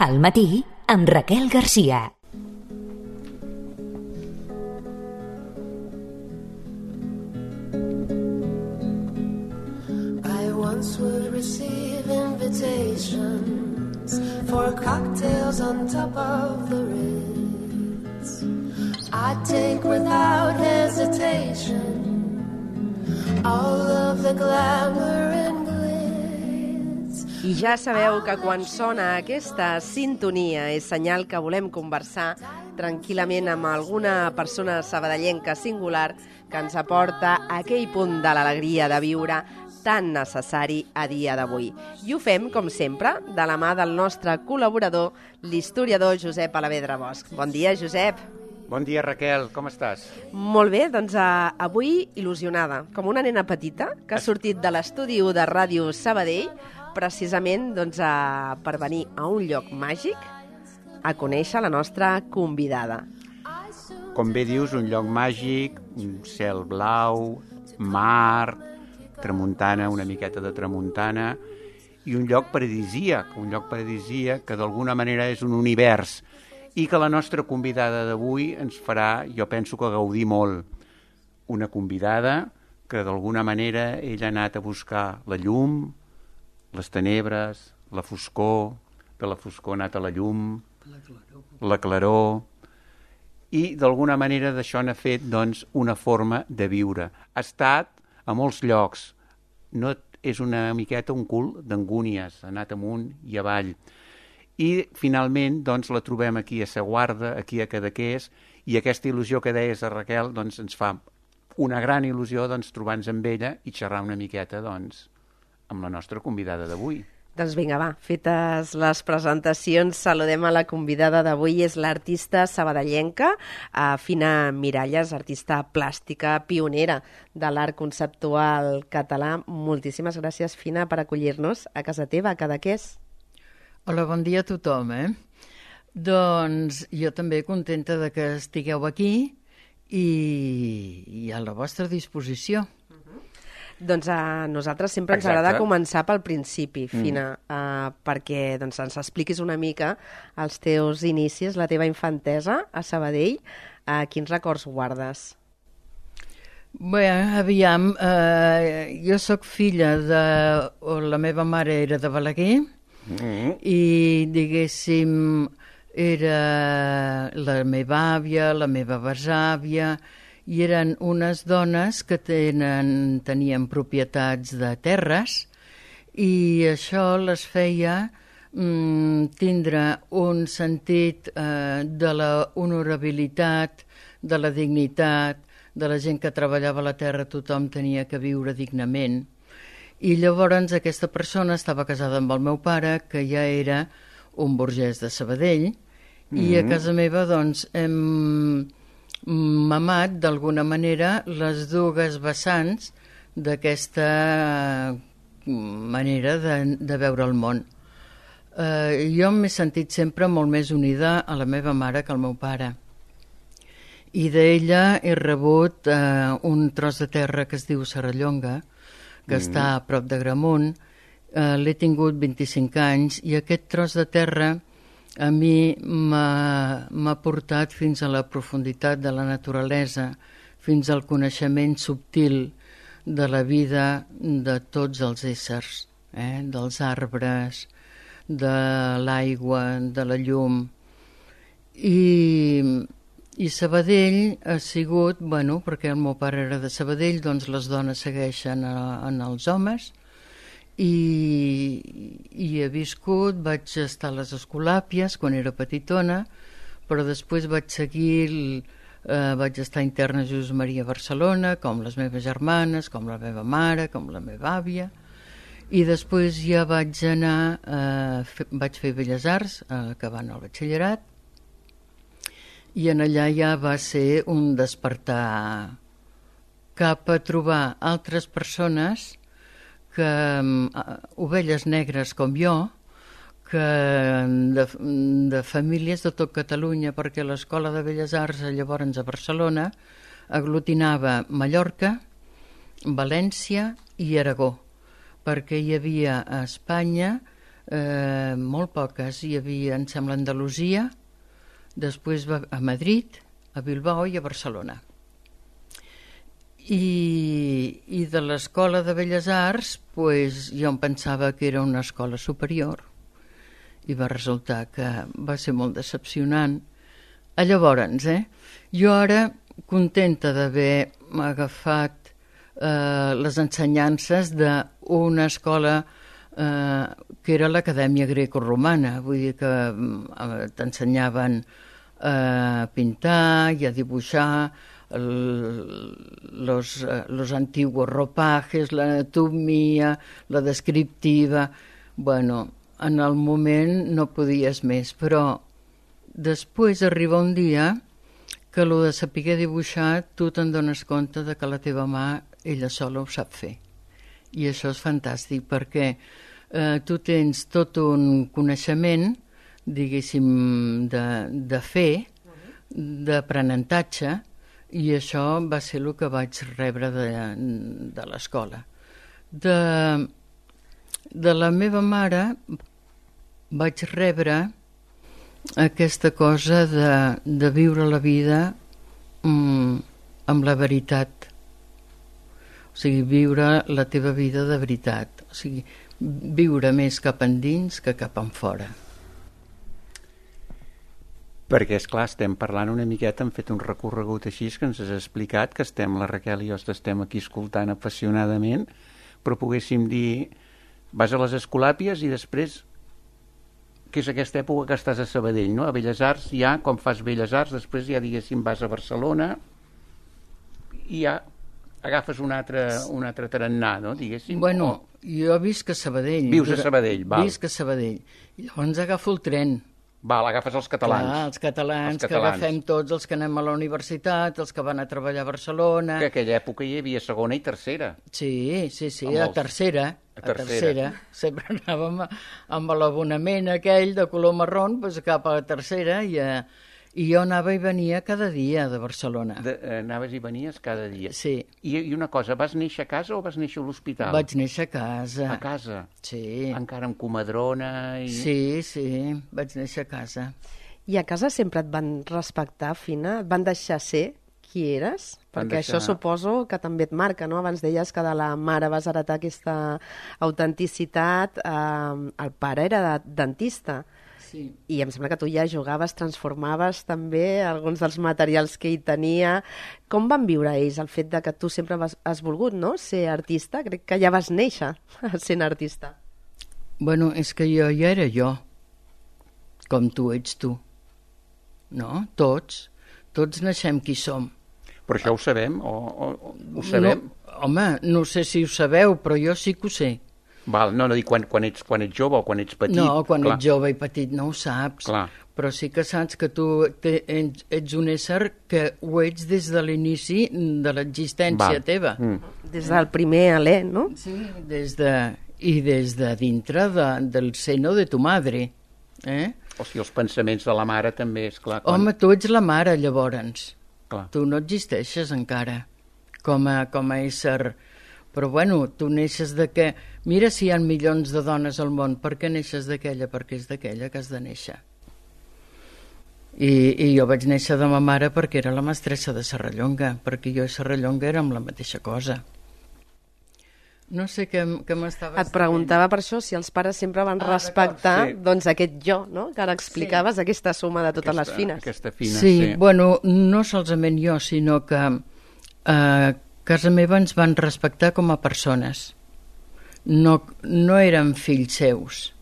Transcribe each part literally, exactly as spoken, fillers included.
Al matí, amb Raquel Garcia. I once would receive invitations for cocktails on top of the Ritz. I'd take without hesitation all of the glamour and glitz. I ja sabeu que quan sona aquesta sintonia és senyal que volem conversar tranquil·lament amb alguna persona sabadellenca singular que ens aporta aquell punt de l'alegria de viure tan necessari a dia d'avui. I ho fem, com sempre, de la mà del nostre col·laborador, l'historiador Josep Alavedra Bosch. Bon dia, Josep. Bon dia, Raquel, com estàs? Molt bé, doncs uh, avui il·lusionada, com una nena petita que ha sortit de l'estudi u de Ràdio Sabadell, precisament doncs, uh, per venir a un lloc màgic a conèixer la nostra convidada. Com bé dius, un lloc màgic, un cel blau, mar, tramuntana, una miqueta de tramuntana, i un lloc paradisíac, un lloc paradisíac que d'alguna manera és un univers, i que la nostra convidada d'avui ens farà, jo penso que gaudir molt. Una convidada que d'alguna manera ella ha anat a buscar la llum, les tenebres, la foscor, de la foscor ha anat a la llum, la claror, la claror i d'alguna manera d'això n'ha fet doncs, una forma de viure. Ha estat a molts llocs, no és una miqueta un cul d'angúnies, ha anat amunt i avall. I finalment doncs, la trobem aquí a Sa Guarda, aquí a Cadaqués, i aquesta il·lusió que deies a Raquel doncs, ens fa una gran il·lusió doncs, trobar-nos amb ella i xerrar una miqueta doncs, amb la nostra convidada d'avui. Doncs vinga, va, fetes les presentacions, saludem a la convidada d'avui, és l'artista sabadellenca, Fina Miralles, artista plàstica, pionera de l'art conceptual català. Moltíssimes gràcies, Fina, per acollir-nos a casa teva, a Cadaqués. Hola, bon dia a tothom, eh? Doncs jo també contenta de que estigueu aquí i, i a la vostra disposició. Doncs a nosaltres sempre ens Exacte. agrada començar pel principi, Fina, mm. uh, perquè doncs, ens expliquis una mica els teus inicis, la teva infantesa a Sabadell. Uh, quins records guardes? Bé, aviam, uh, jo sóc filla de... La meva mare era de Balaguer mm. i, diguéssim, era la meva àvia, la meva besàvia, i eren unes dones que tenen, tenien propietats de terres i això les feia mm, tindre un sentit eh, de la honorabilitat, de la dignitat, de la gent que treballava a la terra, tothom tenia que viure dignament. I llavors aquesta persona estava casada amb el meu pare, que ja era un burgès de Sabadell, mm-hmm. i a casa meva doncs hem mamat d'alguna manera les dues vessants d'aquesta manera de, de veure el món. Eh, jo m'he sentit sempre molt més unida a la meva mare que al meu pare. I d'ella he rebut eh, un tros de terra que es diu Serrallonga, que mm. està a prop de Gramunt. Eh, l'he tingut vint-i-cinc anys i aquest tros de terra a mi m'ha portat fins a la profunditat de la naturalesa, fins al coneixement subtil de la vida de tots els éssers, eh? Dels arbres, de l'aigua, de la llum. I, i Sabadell ha sigut, bueno, perquè el meu pare era de Sabadell, doncs les dones segueixen a, en els homes, I, i he viscut, vaig estar a les Escolàpies quan era petitona, però després vaig seguir, eh, vaig estar interna a Jesús Maria a Barcelona, com les meves germanes, com la meva mare, com la meva àvia, i després ja vaig anar, eh, fe, vaig fer Belles Arts, eh, acabant el batxillerat, i en allà ja va ser un despertar cap a trobar altres persones que uh, ovelles negres com jo, que de, de famílies de tot Catalunya, perquè l'Escola de Belles Arts llavors a Barcelona aglutinava Mallorca, València i Aragó, perquè hi havia a Espanya eh, molt poques. Hi havia, em sembla, Andalusia, després va a Madrid, a Bilbao i a Barcelona. I, i de l'Escola de Belles Arts, pues, jo em pensava que era una escola superior i va resultar que va ser molt decepcionant. A llavors, eh, jo ara, contenta d'haver agafat eh, les ensenyances d'una escola eh, que era l'Acadèmia Greco-Romana, vull dir que eh, t'ensenyaven a pintar i a dibuixar el, los, eh, los antiguos ropajes, l'anatomia, la descriptiva. Bueno, en el moment no podies més, però després arriba un dia que el de saber dibuixar tu te'n dones compte de que la teva mà ella sola ho sap fer. I això és fantàstic perquè eh, tu tens tot un coneixement, diguéssim, de, de fer, d'aprenentatge, i això va ser el que vaig rebre de, de l'escola. De, de la meva mare vaig rebre aquesta cosa de, de viure la vida mm, amb la veritat. O sigui, viure la teva vida de veritat. O sigui, viure més cap endins que cap enfora. Perquè, esclar, estem parlant una miqueta, hem fet un recorregut així que ens has explicat, que estem, la Raquel i jo estem aquí escoltant apassionadament, però poguéssim dir, vas a les Escolàpies i després, que és aquesta època que estàs a Sabadell, no? A Belles Arts ja, com fas Belles Arts, després ja, diguéssim, vas a Barcelona i ja agafes un altre, un altre tarannà, no? Diguéssim. Bueno, o... jo visc a Sabadell. Vius a Sabadell, val. Visc a Sabadell. I llavors agafo el tren. Val, agafes els catalans. Clar, els catalans, els catalans, que agafem tots els que anem a la universitat, els que van a treballar a Barcelona... Que aquella època hi havia segona i tercera. Sí, sí, sí, Amb a els... tercera. A A tercera. tercera. Sempre anàvem amb l'abonament aquell de color marró, doncs cap a la tercera, i, a... i jo anava i venia cada dia de Barcelona. De, eh, anaves i venies cada dia. Sí. I, I una cosa, vas néixer a casa o vas néixer a l'hospital? Vaig néixer a casa. A casa? Sí. Encara amb comadrona i... Sí, sí, vaig néixer a casa. I a casa sempre et van respectar, Fina? Et van deixar ser qui eres? Van Perquè deixar... això suposo que també et marca, no? Abans deies que de la mare vas heretar aquesta autenticitat. Eh, el pare era dentista. Sí. I em sembla que tu ja jugaves, transformaves també alguns dels materials que hi tenia. Com van viure ells el fet de que tu sempre vas, has volgut, no?, ser artista? Crec que ja vas néixer sent artista. Bueno, és que jo ja era jo, com tu ets tu. No? Tots. Tots naixem qui som. Però això ho sabem? O, o, ho sabem? No, home, no sé si ho sabeu, però jo sí que ho sé. Val, no, no dic quan, quan, ets, quan ets jove o quan ets petit. No, quan clar. ets jove i petit no ho saps. Clar. Però sí que saps que tu te, ets, ets un ésser que ho ets des de l'inici de l'existència Val. teva. Mm. Des del primer alè, no? Sí, des de, i des de dintre de, del seno de tu madre. Eh? O sigui, els pensaments de la mare també, és clar. Quan... Home, tu ets la mare, llavors. Clar. Tu no existeixes encara com a, com a ésser... Però, bueno, tu neixes de què... Mira si hi ha milions de dones al món, per què neixes d'aquella? Perquè és d'aquella que has de néixer. I, I jo vaig néixer de ma mare perquè era la mestressa de Serrallonga, perquè jo i Serrallonga érem la mateixa cosa. No sé què, què m'estaves Et preguntava per això si els pares sempre van Ah, respectar sí. doncs, aquest jo, no?, que ara explicaves, sí. Aquesta suma de totes aquesta, les fines. Aquesta fina, sí, sí. bueno, no solament jo, sinó que eh, casa meva ens van respectar com a persones. No, no eren fills seus,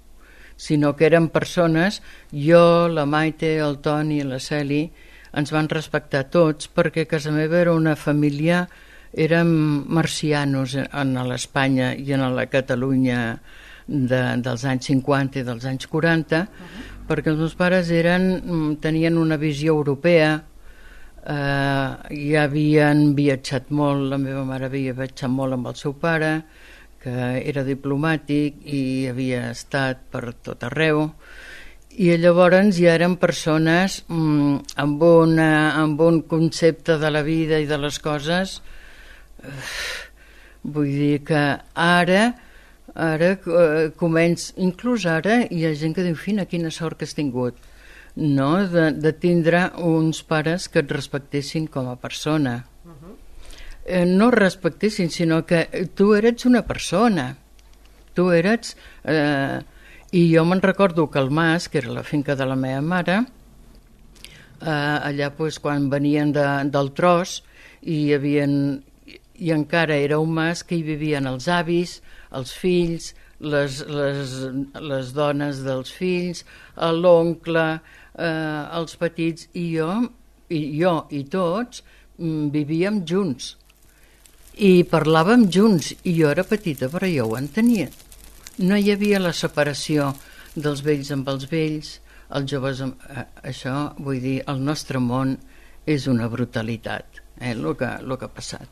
sinó que eren persones, jo, la Maite, el Toni, la Celi, ens van respectar tots perquè casa meva era una família, érem marcianos en l'Espanya i en la Catalunya de, dels anys cinquanta i dels anys quaranta, uh-huh. perquè els meus pares eren, tenien una visió europea, eh, ja havien viatjat molt, la meva mare havia viatjat molt amb el seu pare, que era diplomàtic i havia estat per tot arreu, i llavors ja eren persones mm, amb, una, amb un concepte de la vida i de les coses. Vull dir que ara Ara eh, començ, inclús ara hi ha gent que diu, fina, quina sort que has tingut, no? De, de tindre uns pares que et respectessin com a persona. Uh-huh. eh, no respectessin, sinó que tu eres una persona. Tu eres... Eh, I jo me'n recordo que el Mas, que era la finca de la meva mare, eh, allà pues, quan venien de, del tros, i hi havia... i encara era un mas que hi vivien els avis, els fills, les, les, les dones dels fills, l'oncle, eh, els petits, i jo, i jo i tots mm, vivíem junts. I parlàvem junts, i jo era petita, però jo ho entenia. No hi havia la separació dels vells amb els vells, els joves amb... Eh, això, vull dir, el nostre món és una brutalitat, eh, el que, el que ha passat.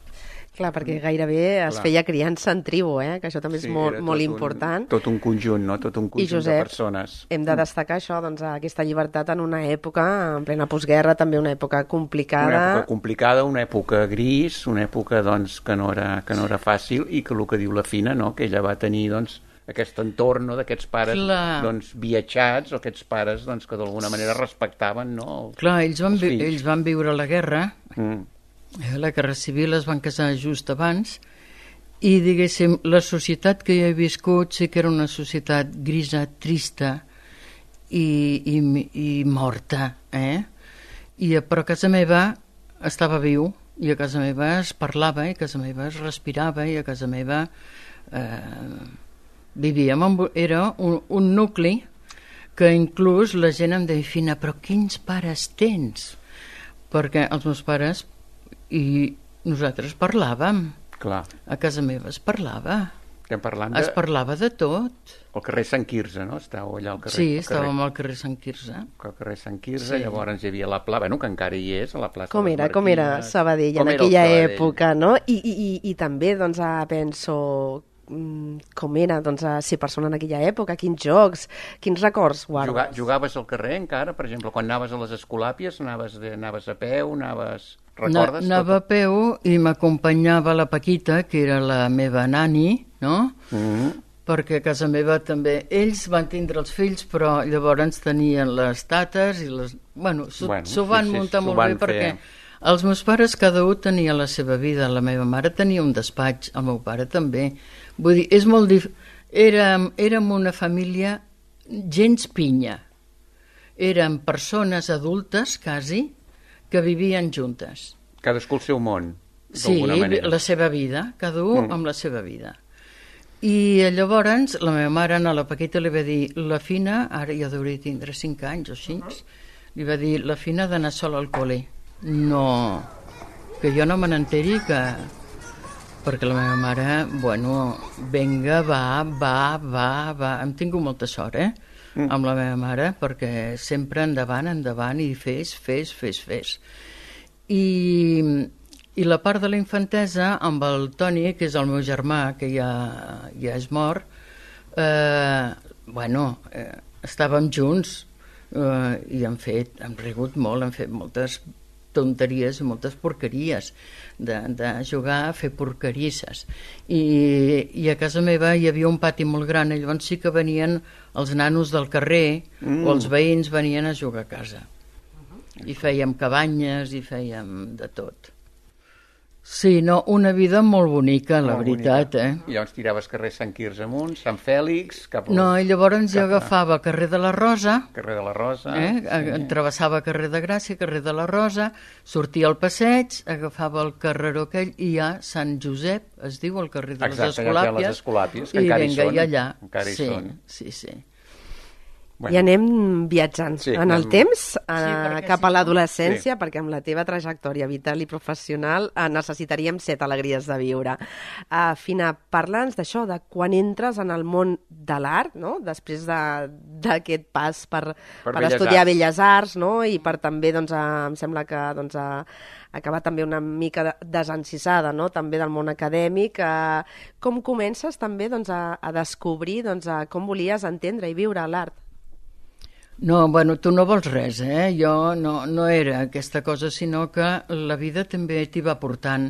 Clar, perquè gairebé es Clar. feia criança en tribu, eh? Que això també és Sí, molt, era molt tot important. Un, tot un conjunt, no? Tot un I conjunt Josep, de persones. hem de destacar això, doncs, aquesta llibertat en una època, en plena postguerra, també una època complicada. Una època complicada, una època gris, una època doncs, que, no era, que no era fàcil, i que el que diu la Fina, no? Que ella va tenir doncs, aquest entorn, no? D'aquests pares doncs, viatjats, o aquests pares doncs, que d'alguna manera respectaven, no? Clar, ells van, els vi fills. ells van viure la guerra, Mm. la guerra civil, es van casar just abans, i diguéssim, la societat que jo he viscut sí que era una societat grisa, trista i, i, i morta, eh? I, però a casa meva estava viu, i a casa meva es parlava, i a casa meva es respirava, i a casa meva eh, vivíem, amb, era un, un nucli que inclús la gent em deia, Fina, però quins pares tens? Perquè els meus pares i nosaltres parlàvem. Clar. A casa meva es parlava. Estem parlant de... Es parlava de tot. El carrer Sant Quirze, no? Estàveu allà al carrer... Sí, al carrer... estàvem al carrer Sant Quirze. Al carrer Sant Quirze, Sí. llavors hi havia la plaça, bueno, que encara hi és, a la plaça Com de les era, com era Marquines. Sabadell Com en era el aquella Sabadell? època, no? I, i, i, i també, doncs, ah, penso, mm, com era, doncs, ah, ser persona en aquella època, quins jocs, quins records guardes? Juga, jugaves al carrer encara, per exemple, quan anaves a les Escolàpies, anaves, de, anaves a peu, anaves... Recordes? Na, anava tot? a peu i m'acompanyava la Paquita, que era la meva nani, no? Mm -hmm. Perquè a casa meva també... Ells van tindre els fills, però llavors tenien les tates i les... Bueno, s'ho Bueno, bueno, sí, van sí, muntar s'ho molt van bé fer. perquè els meus pares cada un tenia la seva vida. La meva mare tenia un despatx, el meu pare també. Vull dir, és molt dif... Érem, érem una família gens pinya. Érem persones adultes, quasi, que vivien juntes. Cadascú el seu món, Sí, d'alguna manera. la seva vida, cada un Mm. amb la seva vida. I llavors la meva mare a la Paquita li va dir, la Fina, ara ja hauria tindre cinc anys o cinc, li va dir, la Fina ha d'anar sola al col·le. No, que jo no me n'enteri que... Perquè la meva mare, bueno, venga, va, va, va, va. Hem tingut molta sort, eh? Mm. Amb la meva mare, perquè sempre endavant, endavant, i fes, fes, fes, fes. I, i la part de la infantesa amb el Toni, que és el meu germà, que ja, ja és mort, eh, bueno, eh, estàvem junts eh, i hem fet, hem rigut molt, hem fet moltes tonteries i moltes porqueries de, de jugar a fer porquerisses I, i a casa meva hi havia un pati molt gran i llavors sí que venien els nanos del carrer mm. o els veïns venien a jugar a casa i fèiem cabanyes i fèiem de tot. Sí, no, una vida molt bonica, la Molt veritat, bonica. eh? I llavors tiraves carrer Sant Quirze amunt, Sant Fèlix, cap al No, i llavors jo cap a- agafava el carrer de la Rosa, carrer de la Rosa. eh? sí. Travessava carrer de Gràcia, carrer de la Rosa, sortia al passeig, agafava el carreró aquell i ja Sant Josep, es diu el carrer de Exacte, les allà hi ha Escolàpies, les Escolàpies, que i encara hi vinga, són, i allà. encara hi sí, són. sí, sí. Bueno. I anem viatjant Sí, en el anem- temps, eh, perquè cap si a no- l'adolescència, perquè amb la teva trajectòria vital i professional eh, necessitaríem set alegries de viure. Uh, Fina, parla'ns d'això, de quan entres en el món de l'art, no? Després de- d'aquest pas per, Per per, Belles estudiar Arts. Belles Arts, no? I per també, doncs, uh, em sembla que doncs, uh, acabar també una mica de- desencisada, no? També del món acadèmic. Uh, com comences també doncs, a, a descobrir doncs, a com volies entendre i viure l'art? No, bueno, tu no vols res, eh? Jo no, no era aquesta cosa, sinó que la vida també t'hi va portant,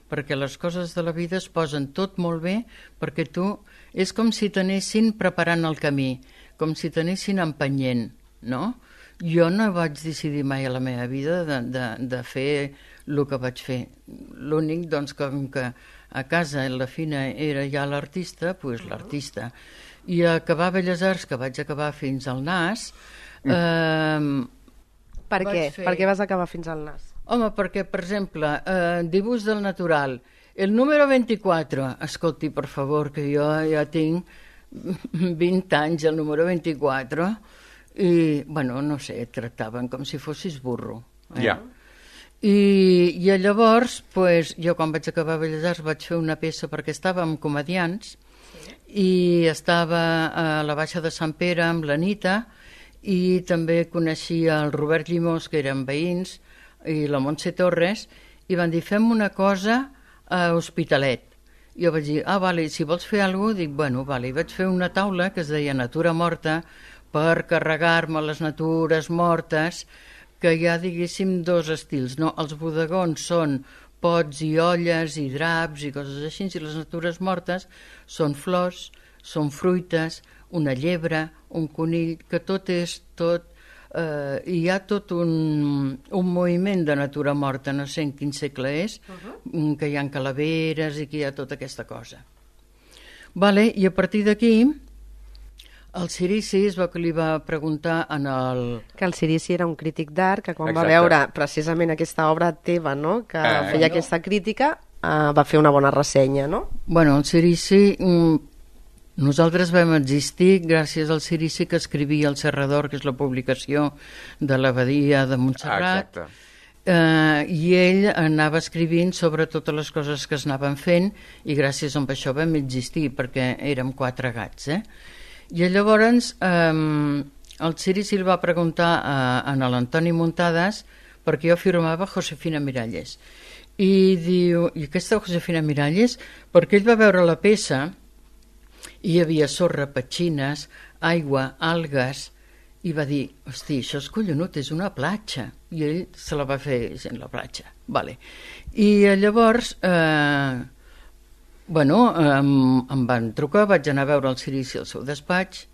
perquè les coses de la vida es posen tot molt bé, perquè tu és com si t'anessin preparant el camí, com si t'anessin empenyent, no? Jo no vaig decidir mai a la meva vida de, de, de fer el que vaig fer. L'únic, doncs, com que a casa la Fina era ja l'artista, doncs l'artista. I a acabar Belles Arts, que vaig acabar fins al nas... Mm. Eh, per què? fer... Per què vas acabar fins al nas? Home, perquè, per exemple, eh, dibuix del natural, el número vint-i-quatre, escolti, per favor, que jo ja tinc vint anys, el número vint-i-quatre, i, bueno, no sé, et tractaven com si fossis burro. Eh? Ja. I, i llavors, pues, jo quan vaig acabar Belles Arts vaig fer una peça perquè estàvem comedians sí. I estava a la Baixa de Sant Pere amb l'Anita i també coneixia el Robert Llimós, que eren veïns, i la Montse Torres, i van dir, fem una cosa a Hospitalet. Jo vaig dir, ah, vale, si vols fer alguna cosa, dic, bueno, vale. I vaig fer una taula que es deia Natura Morta per carregar-me les natures mortes, que hi ha, diguéssim, dos estils, no? Els bodegons són pots i olles i draps i coses així, i les natures mortes són flors, són fruites, una llebre, un conill, que tot és tot... Eh, hi ha tot un, un moviment de natura morta, no sé en quin segle és, uh-huh. que hi ha calaveres i que hi ha tota aquesta cosa. Vale, i a partir d'aquí, el Cirici es va que li va preguntar en el... Que el Cirici era un crític d'art, que quan Exacte. va veure precisament aquesta obra teva, no?, que eh, feia no. aquesta crítica, eh, va fer una bona ressenya, no? Bueno, el Cirici... Mm, nosaltres vam existir gràcies al Cirici, que escrivia El Serrador, que és la publicació de l'Abadia de Montserrat. Exacte. Eh, I ell anava escrivint sobre totes les coses que es anaven fent i gràcies a això vam existir, perquè érem quatre gats, eh? I llavors eh, el Cirici el va preguntar a, a l'Antoni Muntades perquè jo firmava Josefina Miralles. I diu, i aquesta Josefina Miralles, perquè ell va veure la peça i hi havia sorra, petxines, aigua, algues, i va dir, hosti, això és collonut, és una platja. I ell se la va fer en la platja. Vale. I llavors, eh, bueno, eh, em van trucar, vaig anar a veure el Cirici al seu despatx,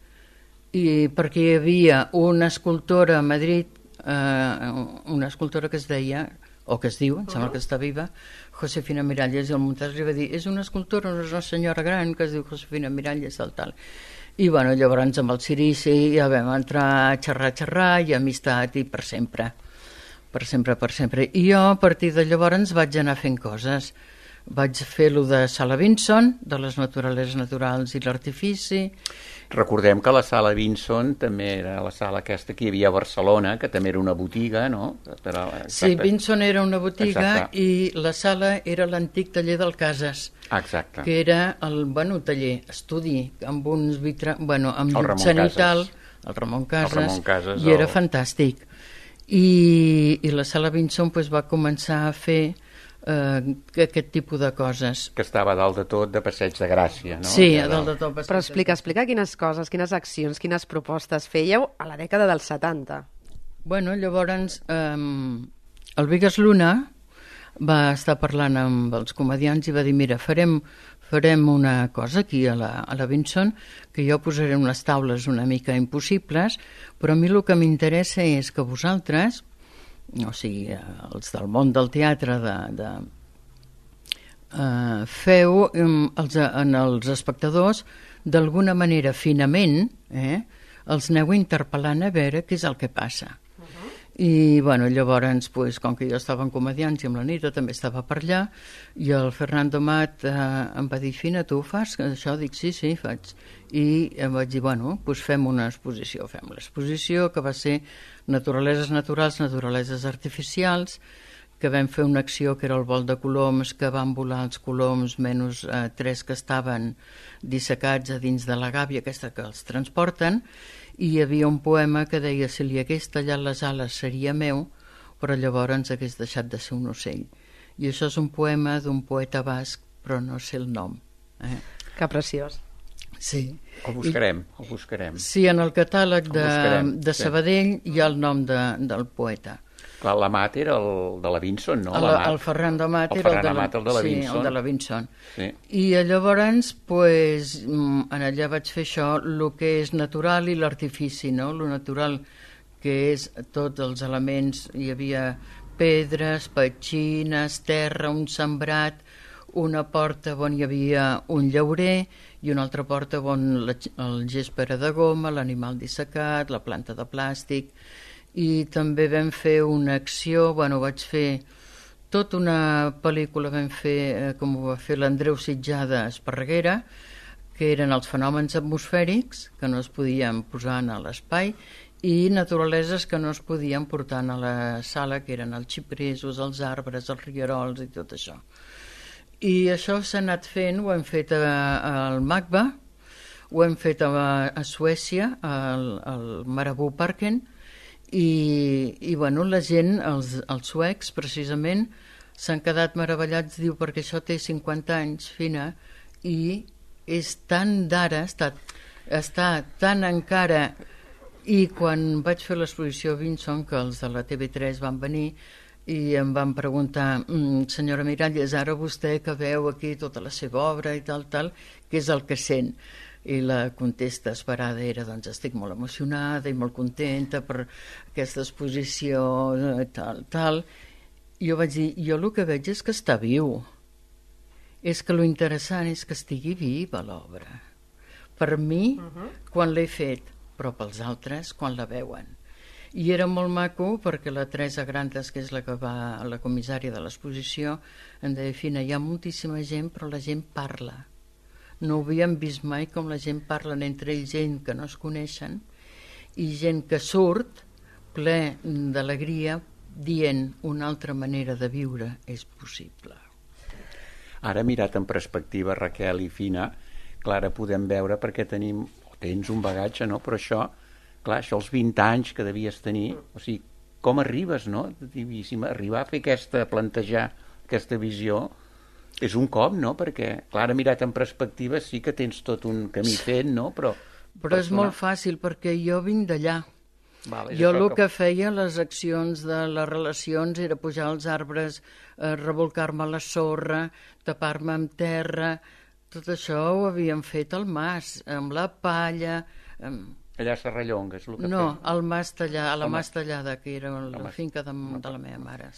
i perquè hi havia una escultora a Madrid, eh, una escultora que es deia, o que es diu, em sembla que està viva, Josefina Miralles, i el Muntades li va dir, és una escultora, una senyora gran que es diu Josefina Miralles, tal, tal. I bueno, llavors amb el Cirici ja vam entrar a xerrar, xerrar, i amistat, i per sempre, per sempre, per sempre. I jo, a partir de llavors, vaig anar fent coses. Vaig fer lo de Sala Vinson, de les naturaleses naturals i l'artifici. Recordem que la Sala Vinson també era la sala aquesta que hi havia a Barcelona, que també era una botiga, no? Era, sí, Vinson era una botiga. Exacte. I la sala era l'antic taller del Casas. Exacte. Que era el, bueno, taller, estudi, amb uns vitra... bueno, amb el llum Casas. cenital, el Ramon Casas, el Ramon Casas i era el... fantàstic. I, i la Sala Vinson pues, va començar a fer Uh, aquest tipus de coses. Que estava a dalt de tot de Passeig de Gràcia, no? Sí, a dalt de tot. Però explica, explica quines coses, quines accions, quines propostes fèieu a la dècada dels setanta. Bueno, llavors um, el Vigas Luna va estar parlant amb els comedians i va dir, mira, farem, farem una cosa aquí a la, a la Vinson, que jo posaré unes taules una mica impossibles, però a mi el que m'interessa és que vosaltres, o sigui, els del món del teatre, de, de, uh, feu um, els, en els espectadors, d'alguna manera, finament, eh, els aneu interpel·lant a veure què és el que passa. Uh-huh. I, bueno, llavors, pues, com que jo estava en comedians i amb la Nita també estava per allà, i el Fernando Mat eh, em va dir, Fina, tu ho fas? Això dic, sí, sí, faig. I em vaig dir, bueno, pues fem una exposició. Fem l'exposició, que va ser naturaleses naturals, naturaleses artificials, que vam fer una acció que era el vol de coloms, que van volar els coloms menys eh, tres que estaven dissecats a dins de la gàbia aquesta que els transporten, i hi havia un poema que deia, si li hagués tallat les ales seria meu, però llavors hagués deixat de ser un ocell. I això és un poema d'un poeta basc, però no sé el nom. Eh? Que preciós. Sí. El buscarem, el buscarem. Sí, en el catàleg de, buscarem, de Sabadell sí. Hi ha el nom de, del poeta. Clar, l'Amat era el de la Vinson, no? El, el Ferran d'Amat el era Ferran el de la, Amat, el de la sí, Vinson. el de la Vinson. Sí. I llavors, pues, en allà vaig fer això, el que és natural i l'artifici, no? Lo natural, que és tots els elements, hi havia pedres, petxines, terra, un sembrat, una porta on hi havia un llaurer i una altra porta on la, el gespa era de goma, l'animal dissecat, la planta de plàstic. I també vam fer una acció, bueno, vaig fer tota una pel·lícula, vam fer, eh, com ho va fer l'Andreu Sitjada a Esparreguera, que eren els fenòmens atmosfèrics que no es podien posar a l'espai i naturaleses que no es podien portar a la sala, que eren els xipresos, els arbres, els rierols i tot això. I això s'ha anat fent, ho hem fet al Magba, ho hem fet a, a Suècia, al, al Marabou Parken, i, i bueno, la gent, els, els suecs precisament, s'han quedat meravellats, diu, perquè això té cinquanta anys, Fina, i és tan d'ara, està, està tan encara, i quan vaig fer l'exposició a Vinson, que els de la T V tres van venir i em van preguntar, mm, senyora Miralles, ara vostè que veu aquí tota la seva obra i tal, tal, què és el que sent? I la contesta esperada era, doncs estic molt emocionada i molt contenta per aquesta exposició, tal, tal. I jo vaig dir, jo el que veig és que està viu. És que lo interessant és que estigui viva l'obra. Per mi, uh-huh. quan l'he fet, però pels altres, quan la veuen. I era molt maco perquè la Teresa Grantes, que és la que va a la comissària de l'exposició, em deia, Fina, hi ha moltíssima gent, però la gent parla. No ho havíem vist mai com la gent parlen entre ells, gent que no es coneixen i gent que surt ple d'alegria dient una altra manera de viure és possible. Ara, mirat en perspectiva, Raquel i Fina, clar, ara podem veure perquè tenim, o tens un bagatge, no? Però això, clar, això els vint anys que devies tenir, o sigui, com arribes, no? Divíssim, arribar a fer aquesta, plantejar aquesta visió, és un cop, no? Perquè, clar, mirat en perspectiva sí que tens tot un camí fet, no? Però, Però és molt fàcil, perquè jo vinc d'allà. Vale, jo el que... que feia, les accions de les relacions, era pujar als arbres, eh, revolcar-me a la sorra, tapar-me amb terra. Tot això ho havíem fet al mas, amb la palla... Amb... Allà a Serrallonga, és el que No, feia. al mas tallada, a la Home. mas tallada, que era la mas... finca de, de la meva mare.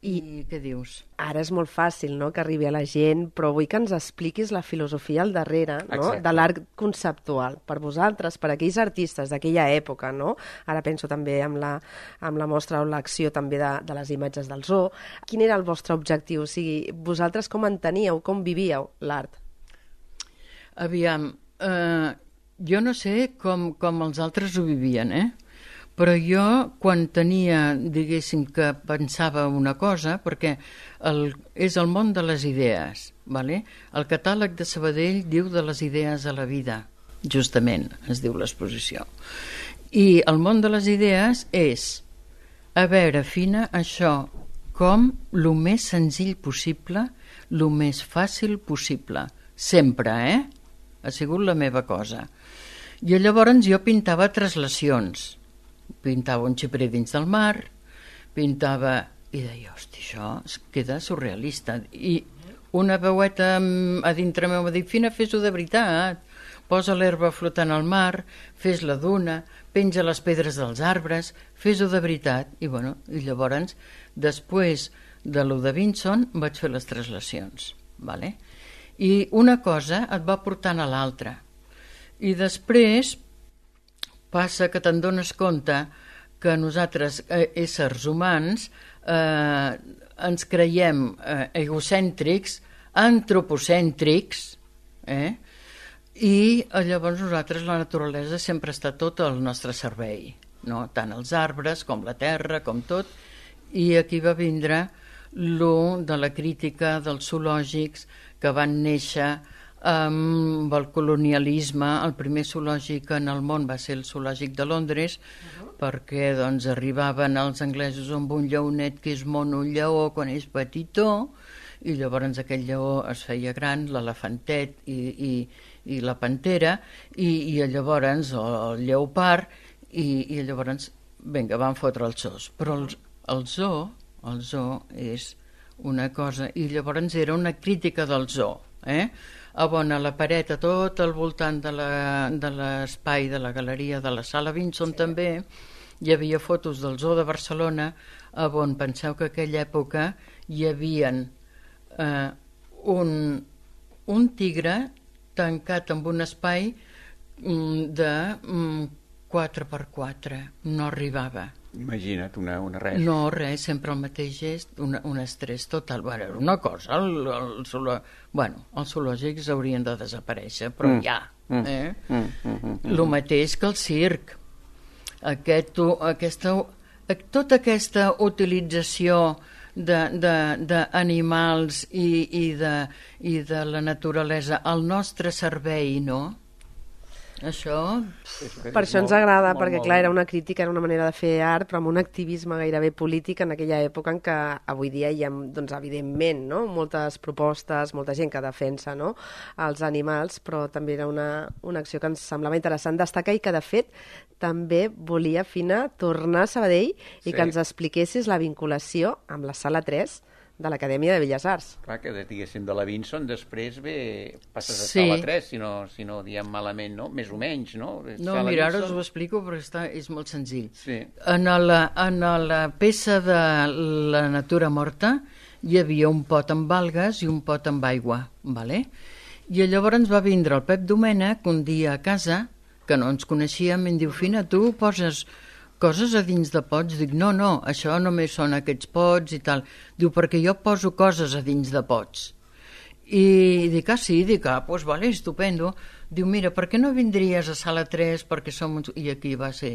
I, I què dius? Ara és molt fàcil, no?, que arribi a la gent, però vull que ens expliquis la filosofia al darrere, no?, Exacte. de l'art conceptual. Per vosaltres, per aquells artistes d'aquella època, no?, ara penso també amb la, amb la mostra o l'acció també de, de les imatges del zoo, quin era el vostre objectiu? O sigui, vosaltres com enteníeu, com vivíeu l'art? Aviam, eh, jo no sé com, com els altres ho vivien, eh? Però jo, quan tenia, diguéssim, que pensava una cosa, perquè el, és el món de les idees, vale? El catàleg de Sabadell diu de les idees a la vida, justament, es diu l'exposició. I el món de les idees és, a veure, Fina, això, com el més senzill possible, el més fàcil possible, sempre, eh? Ha sigut la meva cosa. I llavors jo pintava translacions, pintava un xiprer dins del mar, pintava... I deia, hosti, això es queda surrealista. I una veueta a dintre meu va dir, Fina, fes-ho de veritat. Posa l'herba flotant al mar, fes la duna, penja les pedres dels arbres, fes-ho de veritat. I, bueno, i llavors, després de lo de Vinson, vaig fer les translacions. Vale? I una cosa et va portant a l'altra. I després... passa que te'n dones compte que nosaltres, eh, éssers humans, eh, ens creiem eh, egocèntrics, antropocèntrics, eh? I llavors nosaltres, la naturalesa, sempre està tot al nostre servei, no? Tant els arbres com la terra, com tot, i aquí va vindre lo de la crítica dels zoològics que van néixer amb el colonialisme. El primer zoològic en el món va ser el zoològic de Londres, uh-huh. perquè doncs, arribaven els anglesos amb un lleonet que és mono lleó quan és petitó, i llavors aquell lleó es feia gran, l'elefantet i, i, i la pantera, i, i llavors el lleopard, i, i llavors, vinga, van fotre els zoos. Però els, el zoo, el zoo és una cosa, i llavors era una crítica del zoo, eh? A on a la paret, a tot al voltant de la- de l'espai de la galeria de la Sala Vinson, sí, també hi havia fotos del zoo de Barcelona, a on penseu que en aquella època hi havia eh, un, un tigre tancat en un espai mm, de mm, quatre per quatre, no arribava. Imagina't, una, una res. No, res, sempre el mateix gest, una, un estrès total. Bueno, era una cosa, el, el, zoolo... bueno, els zoològics haurien de desaparèixer, però Mm. ja. Mm. Eh? Mm, mm, mm, mm. El mateix que el circ. Aquest, aquesta, tota aquesta utilització d'animals i, i, de, i de la naturalesa al nostre servei, no? Això... Per això ens agrada, perquè clar, era una crítica, era una manera de fer art, però amb un activisme gairebé polític en aquella època en què avui dia hi ha, doncs, evidentment, no? moltes propostes, molta gent que defensa, no? els animals, però també era una, una acció que ens semblava interessant destacar i que, de fet, també volia, Fina, tornar a Sabadell i Sí. que ens expliquessis la vinculació amb la Sala tres de l'Acadèmia de Belles Arts. Clar, que diguéssim de la Vinson, després ve, passes a Sí. Sala tres, si no, si no diem malament, no? Més o menys, no? No, Sala mira, ara Vinson. us ho explico perquè està, és molt senzill. Sí. En la, en la peça de la natura morta hi havia un pot amb algues i un pot amb aigua, vale? I llavors va vindre el Pep Domènech un dia a casa, que no ens coneixíem, i em diu, Fina, tu poses coses a dins de pots? Dic, no, no, això només són aquests pots i tal. Diu, perquè jo poso coses a dins de pots. I dic, ah, sí? Dic, ah, doncs vale, estupendo. Diu, mira, per què no vindries a Sala tres perquè som uns... I aquí va ser...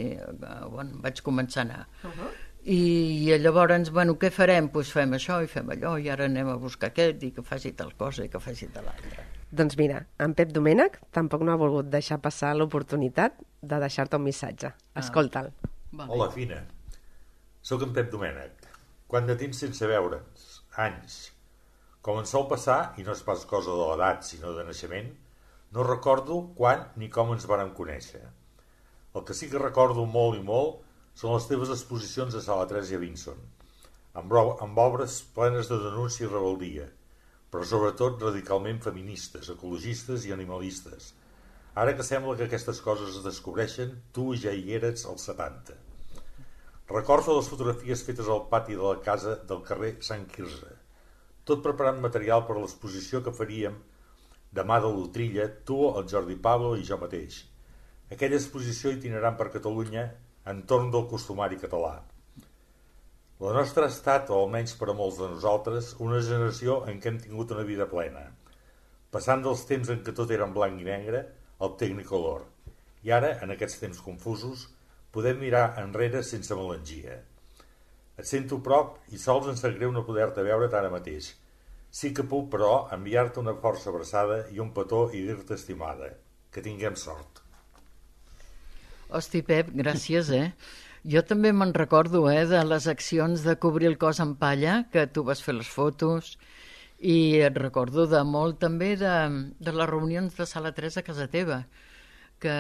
Bueno, vaig començar a anar. Uh -huh. I, I llavors, bueno, què farem? Doncs pues fem això i fem allò, i ara anem a buscar aquest, i que faci tal cosa i que faci tal altra. Doncs mira, en Pep Domènech tampoc no ha volgut deixar passar l'oportunitat de deixar-te un missatge. Escolta'l. Vale. Hola, Fina. Soc en Pep Domènech. Quant de temps sense veure'ns? Anys. Com ens sol passar, i no és pas cosa de l'edat, sinó de naixement, no recordo quan ni com ens vàrem conèixer. El que sí que recordo molt i molt són les teves exposicions a Sala tres i a Vinson, amb, amb obres plenes de denúncia i rebeldia, però sobretot radicalment feministes, ecologistes i animalistes. Ara que sembla que aquestes coses es descobreixen, tu ja hi eres als setanta. Recordo les fotografies fetes al pati de la casa del carrer Sant Quirze, tot preparant material per a l'exposició que faríem demà de l'Utrilla, tu, el Jordi Pablo i jo mateix. Aquella exposició itinerant per Catalunya entorn del costumari català. La nostra ha estat, o almenys per a molts de nosaltres, una generació en què hem tingut una vida plena, passant dels temps en què tot era en blanc i negre al Technicolor. I ara, en aquests temps confusos, podem mirar enrere sense melangia. Et sento prop i sols em sap greu no poder-te veure ara mateix. Sí que puc, però, enviar-te una força abraçada i un petó i dir-te estimada. Que tinguem sort. Hosti, Pep, gràcies, eh? Jo també me'n recordo, eh, de les accions de cobrir el cos amb palla, que tu vas fer les fotos, i et recordo de molt també de, de les reunions de Sala tres a casa teva, que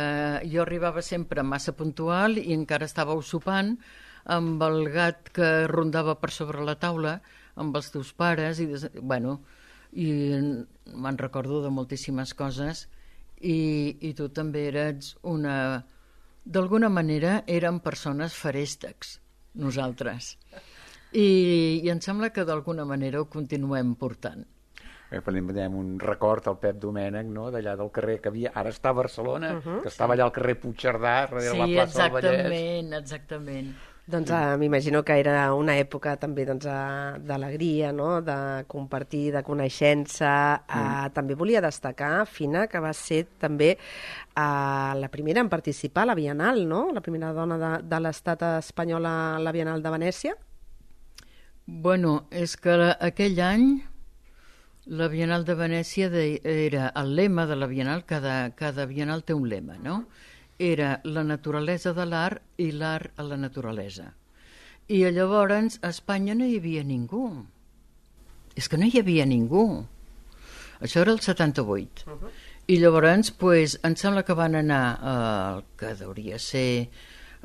jo arribava sempre massa puntual i encara estàveu sopant amb el gat que rondava per sobre la taula, amb els teus pares, i, des... bueno, i me'n recordo de moltíssimes coses, i, i tu també eres una... D'alguna manera érem persones feréstecs, nosaltres. I, i em sembla que d'alguna manera ho continuem portant. Eh, tenim un record al Pep Domènech, no?, d'allà del carrer que havia, ara està a Barcelona, Uh -huh, que estava allà al carrer Puigcerdà, darrere Sí, la plaça del Vallès. exactament, exactament. Doncs eh, m'imagino que era una època també doncs, eh, d'alegria, no? De compartir, de coneixença. Eh, també volia destacar, Fina, que va ser també eh, la primera en participar a la Bienal, no? La primera dona de, de l'estat espanyol a la Bienal de Venècia. Bueno, és que la, aquell any la Bienal de Venècia de, era el lema de la Bienal, cada, cada Bienal té un lema, no? Era la naturalesa de l'art i l'art a la naturalesa. I llavors a Espanya no hi havia ningú. És que no hi havia ningú. Això era el setanta-vuit. Uh -huh. I llavors, pues, em sembla que van anar el que hauria ser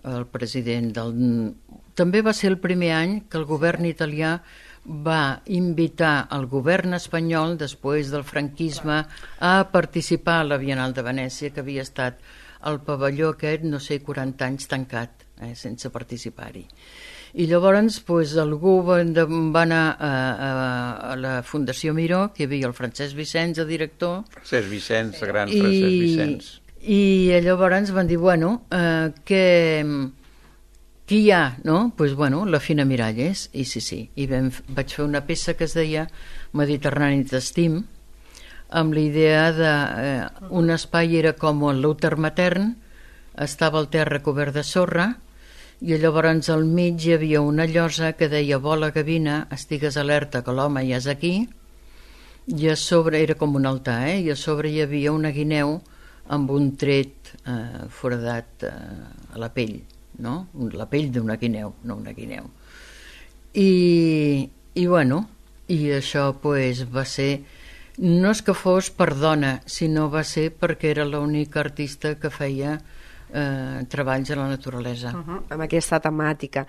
el president del... també va ser el primer any que el govern italià va invitar el govern espanyol, després del franquisme, a participar a la Bienal de Venècia, que havia estat el pavelló aquest, no sé, quaranta anys tancat, eh, sense participar-hi. I llavors pues, algú va, va anar a, a, a la Fundació Miró, que hi havia el Francesc Vicenç, el director. Francesc Vicenç, el gran i, Francesc Vicenç. I llavors van dir, bueno, eh, que, qui hi ha? No? Pues, bueno, la Fina Miralles. I sí, sí. I vam, vaig fer una peça que es deia Mediterrani t'estim, amb la idea de... Eh, un espai era com l'úter matern, estava el terra cobert de sorra, i llavors al mig hi havia una llosa que deia vola gavina, estigues alerta que l'home ja és aquí, i a sobre era com un altar, eh? I a sobre hi havia una guineu amb un tret eh, foradat eh, a la pell, no? La pell d'una guineu, no una guineu. I, i bueno, i això pues, va ser, no és que fos per dona, sinó va ser perquè era l'única artista que feia Eh, treballs a la naturalesa. Uh-huh, amb aquesta temàtica.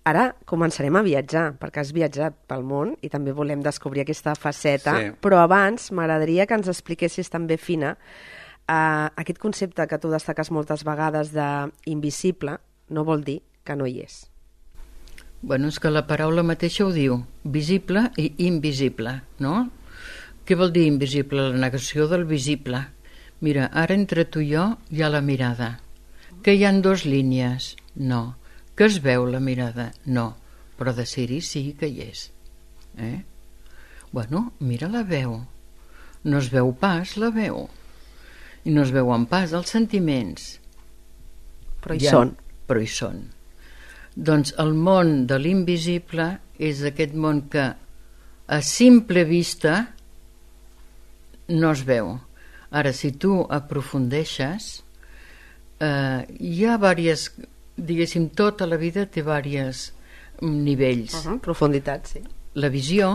Ara començarem a viatjar, perquè has viatjat pel món i també volem descobrir aquesta faceta, sí. Però abans m'agradaria que ens expliquessis també, Fina, eh, aquest concepte que tu destaques moltes vegades d'invisible no vol dir que no hi és. Bueno, és que la paraula mateixa ho diu, visible i invisible, no? Què vol dir invisible? La negació del visible. Mira, ara entre tu i jo hi ha la mirada. Que hi ha dos línies? No. Que es veu la mirada? No. Però de ser-hi sí que hi és. Eh? Bueno, mira la veu. No es veu pas la veu. I no es veuen pas els sentiments. Però hi ja, són. Però hi són. Doncs el món de l'invisible és aquest món que a simple vista no es veu. Ara, si tu aprofundeixes, eh, hi ha diverses, diguéssim, tota la vida té diversos nivells. Uh-huh, profunditat, sí. La visió,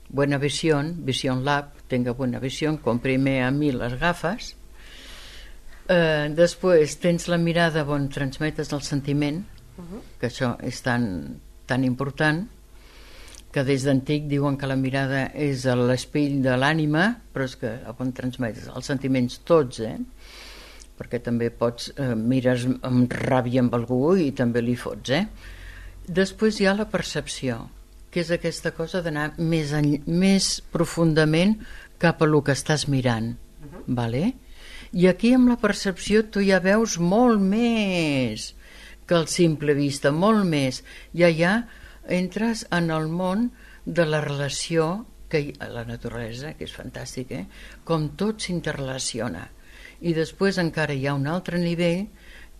buena visión, Vision Lab, tenga buena visión, comprime a mi les gafes. Eh, després tens la mirada on transmetes el sentiment, uh-huh. que això és tan, tan important, que des d'antic diuen que la mirada és l'espill de l'ànima, però és que on transmetes els sentiments tots, eh? Perquè també pots, eh, mires amb ràbia amb algú i també li fots, eh? Després hi ha la percepció, que és aquesta cosa d'anar més, més profundament cap a lo que estàs mirant, uh-huh. Vale? I aquí amb la percepció tu ja veus molt més que el simple vista, molt més. Ja hi ha entres en el món de la relació que hi, a la naturalesa, que és fantàstic, eh? Com tot s'interrelaciona. I després encara hi ha un altre nivell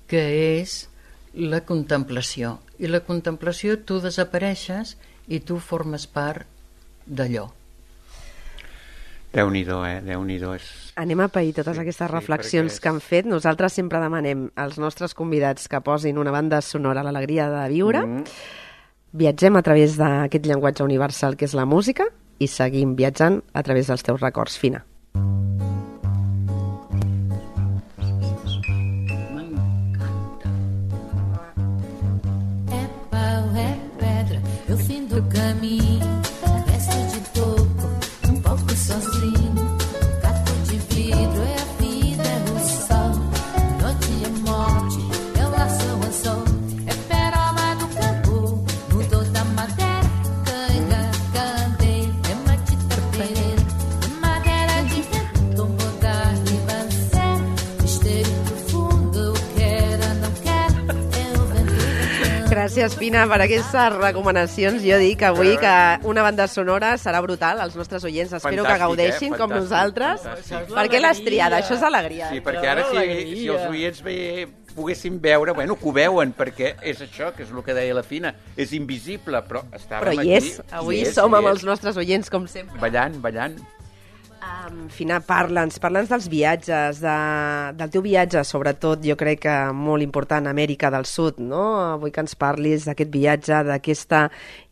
que és la contemplació. I la contemplació tu desapareixes i tu formes part d'allò. Déu-n'hi-do, eh? Déu-n'hi-do. És... Anem a pair totes sí, aquestes reflexions sí, que han fet. Nosaltres sempre demanem als nostres convidats que posin una banda sonora a l'alegria de viure. Mm. Viatgem a través d'aquest llenguatge universal que és la música i seguim viatjant a través dels teus records, Fina. É pau, é pedra, é o fim do caminho, resto de toco, um pouco sozinho, caco de vidro, é a vida, é o sol, noite é morte, é o laço, é o sol. Gràcies, Fina, per aquestes recomanacions. Jo dic avui que una banda sonora serà brutal. Els nostres oients espero fantàstic, que gaudeixin eh? com nosaltres. Fantàstic. Per què l'has triada? Això és alegria. Sí, perquè ara si, si els oients ve, poguessin veure, bueno, que ho veuen, perquè és això, que és el que deia la Fina, és invisible, però estàvem però aquí. Però hi és, avui és, som amb els nostres oients, com sempre. Ballant, ballant. Um, Fina, parla'ns, parla'ns dels viatges, de, del teu viatge, sobretot, jo crec que molt important, a Amèrica del Sud, no? Vull que ens parlis d'aquest viatge, d'aquesta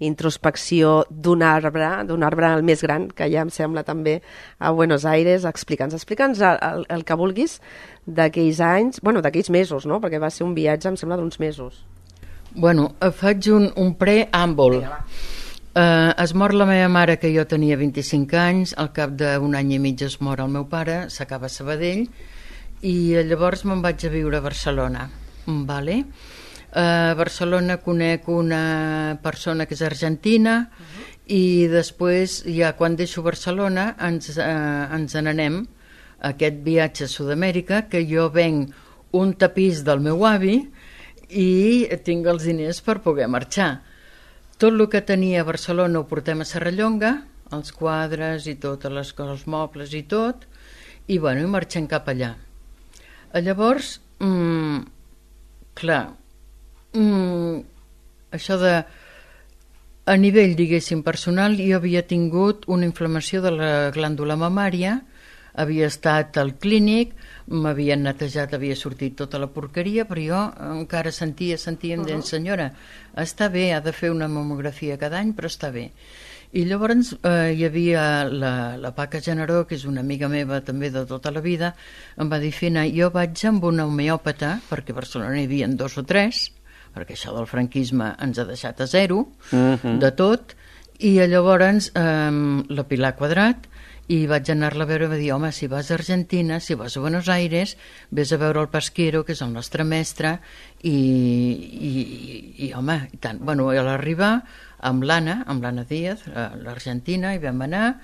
introspecció d'un arbre, d'un arbre el més gran, que ja em sembla també a Buenos Aires. Explica'ns, explica'ns el, el, el que vulguis d'aquells anys, bueno, d'aquells mesos, no? Perquè va ser un viatge, em sembla, d'uns mesos. Bueno, faig un, un preàmbul. Uh, es mor la meva mare, que jo tenia vint-i-cinc anys, al cap d'un any i mig es mor el meu pare, s'acaba a Sabadell, i llavors me'n vaig a viure a Barcelona. Vale? Uh, a Barcelona conec una persona que és argentina, uh-huh. i després, ja quan deixo Barcelona, ens, uh, ens n'anem a aquest viatge a Sud-amèrica, que jo venc un tapís del meu avi i tinc els diners per poder marxar. Tot el que tenia a Barcelona ho portem a Serrallonga, els quadres i totes les coses, els mobles i tot, i bueno, i marxem cap allà. Llavors, mmm, clar, mmm, això de, a nivell, diguéssim, personal, jo havia tingut una inflamació de la glàndula mamària, havia estat al clínic, m'havien netejat, havia sortit tota la porqueria, però jo encara sentia, sentia, em deien, senyora, està bé, ha de fer una mamografia cada any, però està bé. I llavors eh, hi havia la, la Paca Generó, que és una amiga meva també de tota la vida, em va dir, Fina, jo vaig amb una homeòpata, perquè a Barcelona hi havia dos o tres, perquè això del franquisme ens ha deixat a zero, uh-huh. de tot, i llavors eh, la Pilar Quadrat, i vaig anar-la a veure i va dir, home, si vas a Argentina, si vas a Buenos Aires, vés a veure el Pasquero, que és el nostre mestre, i, i, i, i home, i tant. Bueno, a l'arribar, amb l'Anna, amb l'Anna Díaz, a l'Argentina, hi vam anar,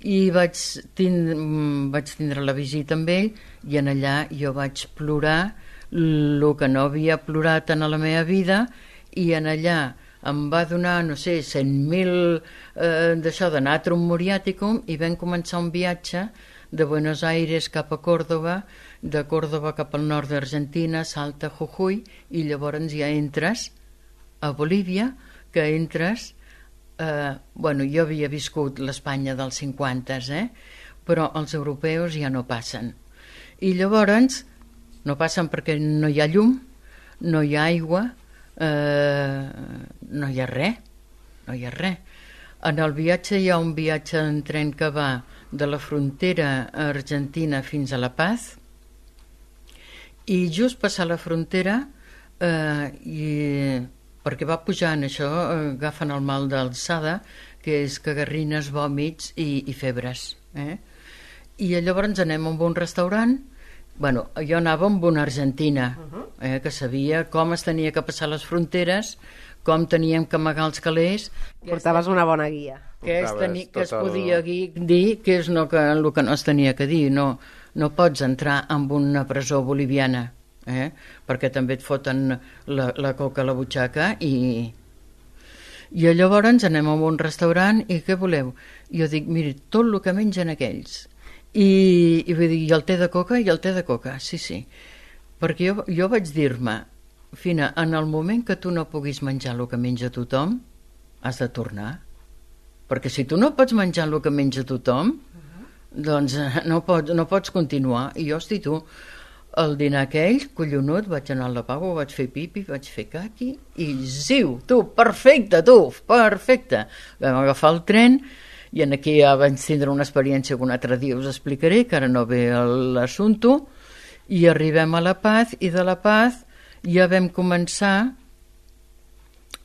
i vaig, tind vaig tindre la visita amb ell, i en allà jo vaig plorar el que no havia plorat en la meva vida, i en allà em va donar, no sé, cent mil eh, d'això de natrum muriaticum, i vam començar un viatge de Buenos Aires cap a Córdoba, de Córdoba cap al nord d'Argentina, Salta, Jujuy, i llavors ja entres a Bolívia, que entres, eh, bueno, jo havia viscut l'Espanya dels cinquanta, eh? Però els europeus ja no passen. I llavors no passen perquè no hi ha llum, no hi ha aigua, Uh, no hi ha res, no hi ha res. En el viatge hi ha un viatge en tren que va de la frontera argentina fins a La Paz, i just passar la frontera, uh, i, perquè va pujant això, uh, agafen el mal d'alçada, que és cagarrines, vòmits i, i febres. Eh? I llavors anem a un restaurant. Bueno, jo anava amb una argentina, eh, que sabia com es tenia que passar les fronteres, com teníem que amagar els calés. Portaves una bona guia. Que es, teni, que es podia el... dir que és no, que, el que no es tenia que dir. No, no pots entrar en una presó boliviana, eh, perquè també et foten la, la coca a la butxaca. I, i llavors anem a un restaurant i què voleu? Jo dic, miri, tot el que mengen aquells. I, i vull dir, i el té de coca, i el té de coca, sí, sí. Perquè jo, jo vaig dir-me, Fina, en el moment que tu no puguis menjar el que menja tothom, has de tornar. Perquè si tu no pots menjar el que menja tothom, uh-huh. doncs no pots, no pots continuar. I jo, hosti, tu, el dinar aquell, collonut, vaig anar al lavabo, vaig fer pipi, vaig fer caqui, i ziu, tu, perfecte, tu, perfecte. Vam agafar el tren, i en aquí ja vaig tindre una experiència que un altre dia us explicaré, que ara no ve l'assumpte, i arribem a La Paz, i de La Paz ja vam començar,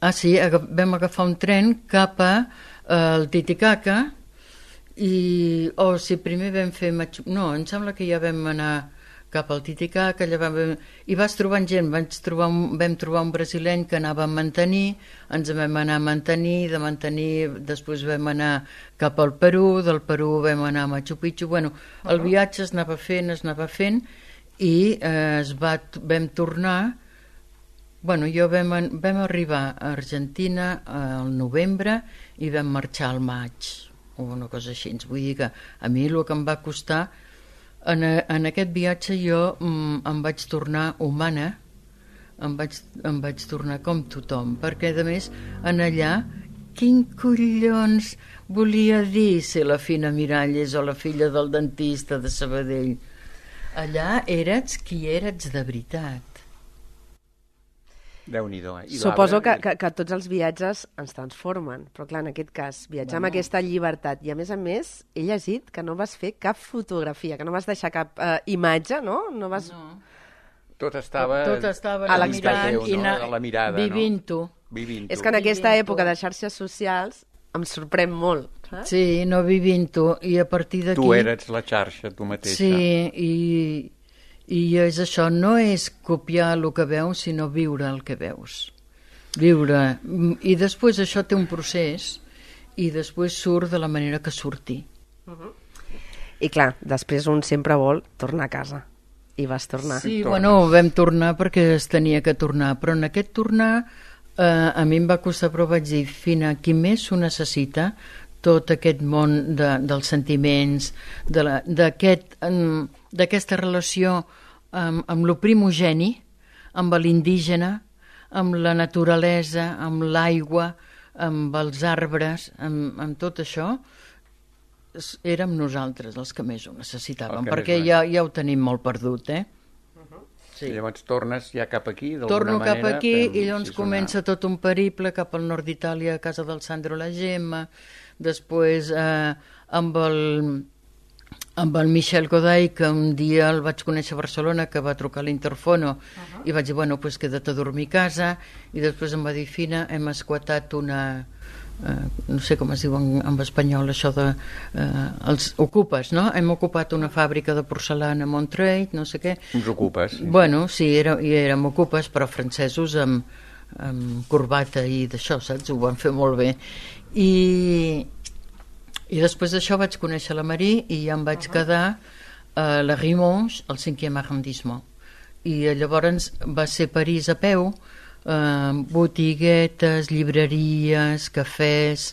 ah sí, vam agafar un tren cap al Titicaca, i, o oh, si primer vam fer, no, em sembla que ja vam anar cap al Titicaca, vam, i vas trobant gent, vaig trobar un, vam trobar un brasileny que anava a mantenir, ens vam anar a mantenir, de mantenir després vam anar cap al Perú, del Perú vam anar a Machu Picchu, bueno, el viatge es anava fent, es anava fent, i eh, es va, vam tornar, bueno, jo vam, vam arribar a Argentina al novembre i vam marxar al maig, o una cosa així, vull dir que a mi el que em va costar. En, en aquest viatge jo mm, em vaig tornar humana, em vaig, em vaig tornar com tothom, perquè a més en allà, quin collons volia dir ser la Fina Miralles o la filla del dentista de Sabadell? Allà eres qui eres de veritat. Déu-n'hi-do. Eh? Suposo que, que, que tots els viatges ens transformen, però clar, en aquest cas, viatjar amb aquesta llibertat, i a més a més, he llegit que no vas fer cap fotografia, que no vas deixar cap eh, imatge, no? No vas... No. Tot estava, tot estava a mirant l'expectativa, i no? anar A la mirada, vivint-ho. Vivint-ho. És que en aquesta Vivint-ho. època de xarxes socials em sorprèn molt, saps? Sí, no vivint-ho. I a partir d'aquí... Tu eres la xarxa, tu mateixa. Sí, i, i és això, no és copiar el que veus, sinó viure el que veus. Viure. I després això té un procés i després surt de la manera que surti. I clar, després un sempre vol tornar a casa. I vas tornar. Sí, Tornes. bueno, vam tornar perquè es tenia que tornar, però en aquest tornar eh, a mi em va costar, però vaig dir, Fina, qui més s'ho necessita, tot aquest món de, dels sentiments, de la- d'aquest, em, d'aquesta relació amb, amb lo primogeni, amb l'indígena, amb la naturalesa, amb l'aigua, amb els arbres, amb, amb tot això, s- érem nosaltres els que més ho necessitàvem, El que perquè més ja, ja ho tenim molt perdut, eh? Sí. I llavors tornes ja cap aquí, d'alguna Torno manera. cap aquí fem- i llavors sí, és comença tot un periple cap al nord d'Itàlia, a casa del Sandro La Gemma, després eh, amb el amb el Michel Goday, que un dia el vaig conèixer a Barcelona, que va trucar a l'Interfono, uh-huh. i vaig dir, bueno, pues queda't a dormir a casa, i després em va dir, Fina, hem esquatat una... Eh, no sé com es diu en, en espanyol això de... Eh, els ocupes, no? Hem ocupat una fàbrica de porcelana a Montreuil, no sé què. Uns ocupes. Sí. Bueno, sí, era, i érem ocupes, però francesos amb, amb corbata i d'això, saps? Ho van fer molt bé. I, i després d'això vaig conèixer la Marie i ja em vaig uh-huh. quedar a la Rue Monge, al cinquième arrondissement. I llavors va ser París a peu, eh, botiguetes, llibreries, cafès,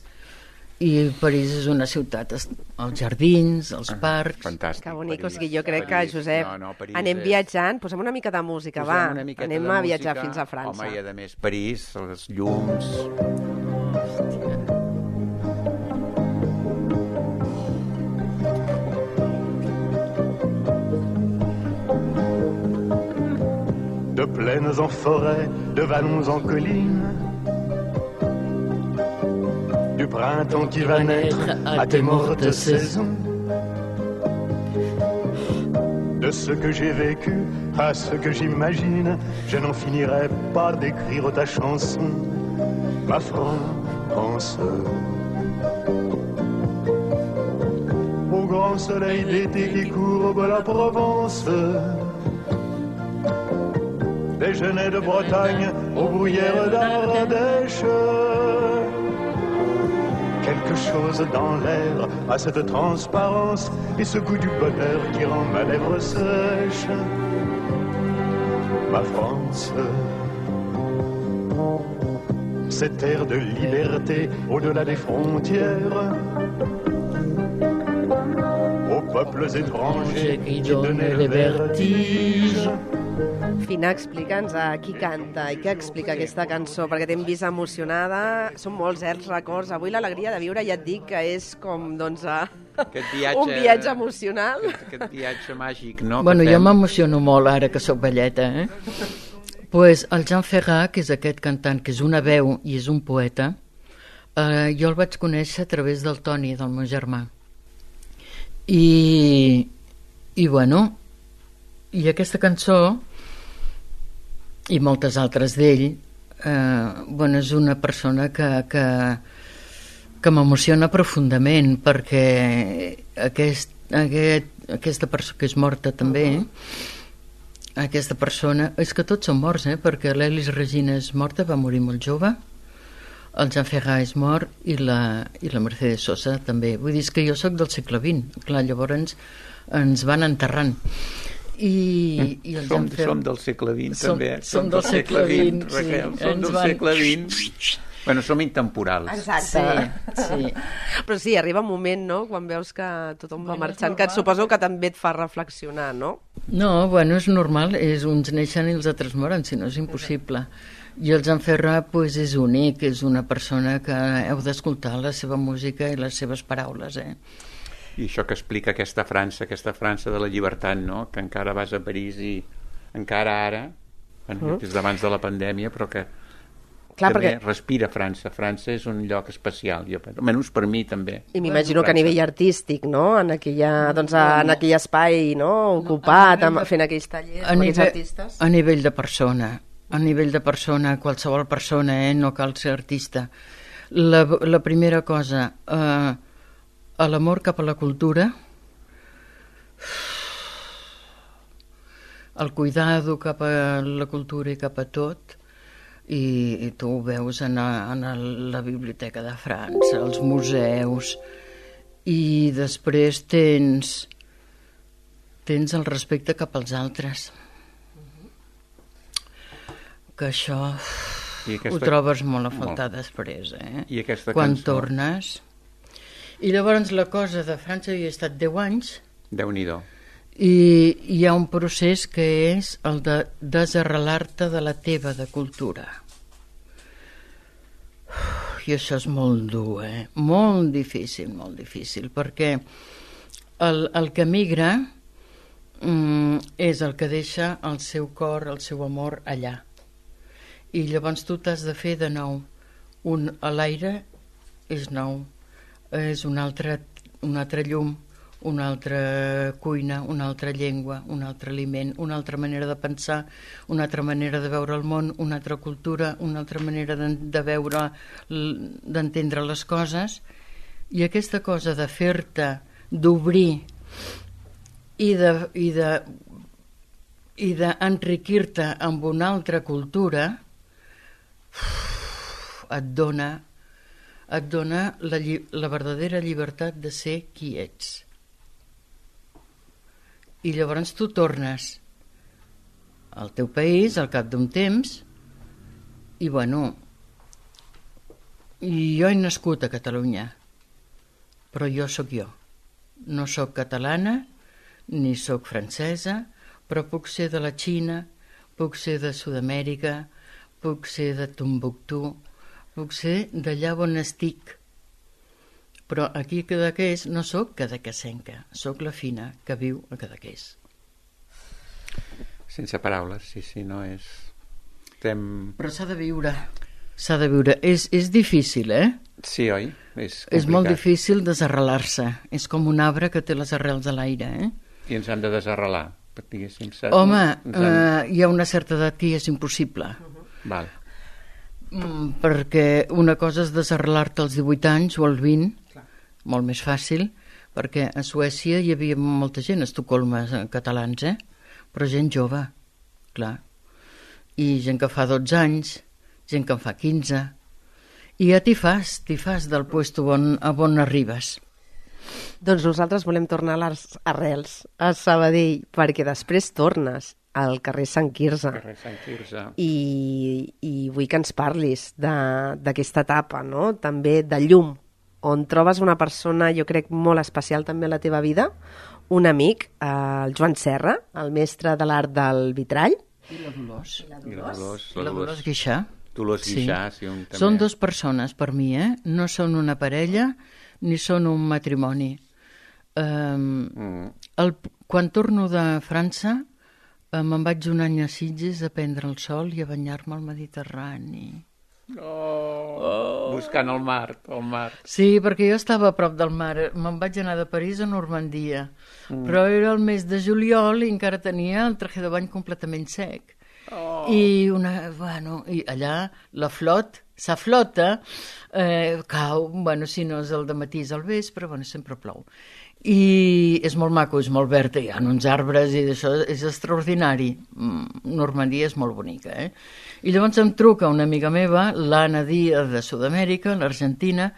i París és una ciutat, els jardins, els Ah, parcs... Fantàstic. Que bonic, o París. sigui, jo crec que, París. Josep, No, no, París anem és- viatjant, posem una mica de música, Posem va, una miqueta anem de a viatjar música. fins a França. Home, i a més París, els llums... De plaines en forêt, de vallons en collines, du printemps qui va naître à tes mortes saisons, de ce que j'ai vécu à ce que j'imagine, je n'en finirai pas d'écrire ta chanson, ma France. Au grand soleil d'été qui courbe la Provence, des genêts de Bretagne aux bruyères d'Ardèche. Quelque chose dans l'air a cette transparence et ce goût du bonheur qui rend ma lèvre sèche. Ma France, cette terre de liberté au-delà des frontières, aux peuples étrangers qui donnaient le vertige. Fina, explica'ns a qui canta i què explica aquesta cançó, perquè t'hem vist emocionada, són molts eh, els records. Avui l'alegria de viure, ja et dic que és com, doncs, a... Aquest viatge, un viatge emocional. Aquest, aquest viatge màgic, no? Bueno, que jo fem. m'emociono molt ara que sóc velleta, eh? Pues el Jean Ferrat, que és aquest cantant, que és una veu i és un poeta, eh, jo el vaig conèixer a través del Toni, del meu germà. I, i bueno, i aquesta cançó, i moltes altres d'ell, eh, bueno, és una persona que, que, que m'emociona profundament, perquè aquest, aquest, aquesta persona que és morta també, aquesta persona, és que tots són morts, eh? Perquè l'Elis Regina és morta, va morir molt jove, el Jean Ferrat és mort i la, i la Mercedes Sosa també. Vull dir, és que jo sóc del segle vint, clar, llavors ens van enterrant. I, i el som, Jean Ferrat... som del segle vint, Som- també. som del segle vint, sí. Raquel, som Ens del van- segle vint. Bueno, som intemporals. Exacte. Sí, sí. Però sí, arriba un moment, no?, quan veus que tothom va marxant, que et suposo que també et fa reflexionar, no? No, bueno, és normal, és uns neixen i els altres moren, si no és impossible. I el Jean Ferrat pues, és únic, és una persona que heu d'escoltar la seva música i les seves paraules, eh? I això que explica aquesta França, aquesta França de la llibertat, no? Que encara vas a París i encara ara, bueno, Mm. des d'abans de la pandèmia, però que Clar, també perquè... respira França. França és un lloc especial, jo, almenys per mi també. I m'imagino que a nivell artístic, no? En, aquella, doncs, en no. aquell espai, no? Ocupat, No, amb, de... fent aquells tallers a amb nivell, aquells artistes. A nivell de persona, a nivell de persona, qualsevol persona, eh? No cal ser artista. La, la primera cosa, eh, a l'amor cap a la cultura, el cuidado cap a la cultura i cap a tot, i, i tu ho veus en, a, en la Biblioteca de França, els museus, i després tens tens el respecte cap als altres, que això I aquesta... ho trobes molt a faltar molt. després, eh? I aquesta quan cançó... tornes. I llavors la cosa de França, jo he estat deu anys, Déu-n'hi-do. i hi ha un procés que és el de desarrelar-te de la teva de cultura. I això és molt dur, eh? Molt difícil, molt difícil, perquè el, el que migra mm, és el que deixa el seu cor, el seu amor allà. I llavors tu t'has de fer de nou. Un, a l'aire és nou, és un altre, un altre llum, una altra cuina, una altra llengua, un altre aliment, una altra manera de pensar, una altra manera de veure el món, una altra cultura, una altra manera de, de veure, d'entendre les coses. I aquesta cosa de fer-te, d'obrir i de, i de, i d'enriquir-te amb una altra cultura, et dona, et dona la, la verdadera llibertat de ser qui ets. I llavors tu tornes al teu país al cap d'un temps i bueno, jo he nascut a Catalunya, però jo sóc jo. No sóc catalana ni sóc francesa, però puc ser de la Xina, puc ser de Sud-amèrica, puc ser de Tombuctú, puc ser d'allà on estic. Però aquí a Cadaqués no sóc cadaquesenca, sóc la Fina que viu a Cadaqués. Sense paraules, sí, sí, no és... Estem... Però s'ha de viure, s'ha de viure. És, és difícil, eh? Sí, oi? És complicat. És molt difícil desarrelar-se. És com un arbre que té les arrels a l'aire, eh? I ens han de desarrelar, diguéssim. Saps? Home, han... eh, hi ha una certa edat que és impossible. Uh-huh. Val. Mm, perquè una cosa és desarrelar-te als divuit anys o als vint, clar, molt més fàcil, perquè a Suècia hi havia molta gent, a Estocolm, catalans, eh? Però gent jove, clar. I gent que fa dotze anys, gent que en fa quinze. I ja t'hi fas, t'hi fas del puesto on, a on arribes. Doncs nosaltres volem tornar a les arrels, a Sabadell, perquè després tornes al carrer Sant Quirze. Carrer Sant Quirze. I, i vull que ens parlis d'aquesta etapa, no? També de llum, on trobes una persona, jo crec, molt especial també a la teva vida, un amic, el Joan Serra, el mestre de l'art del vitrall. I la Dolors. I la Dolors. I la Dolors Guixà. Dolors Guixà, sí. Un, també. Són dues persones per mi, eh? No són una parella ni són un matrimoni. Um, mm. el, quan torno de França eh, me'n vaig un any a Sitges a prendre el sol i a banyar-me al Mediterrani. Oh, oh. Buscant el mar, el mar. Sí, perquè jo estava a prop del mar. Me'n vaig anar de París a Normandia, mm. però era el mes de juliol i encara tenia el traje de bany completament sec. Oh. I, una, bueno, i allà la flot, sa flota, eh, cau, bueno, si no és el dematí és al vespre, bueno, sempre plou. I és molt maco, és molt verd, hi ha uns arbres i d'això és extraordinari. Normandia és molt bonica, eh? I llavors em truca una amiga meva, l'Anna Díaz de Sud-amèrica, l'Argentina,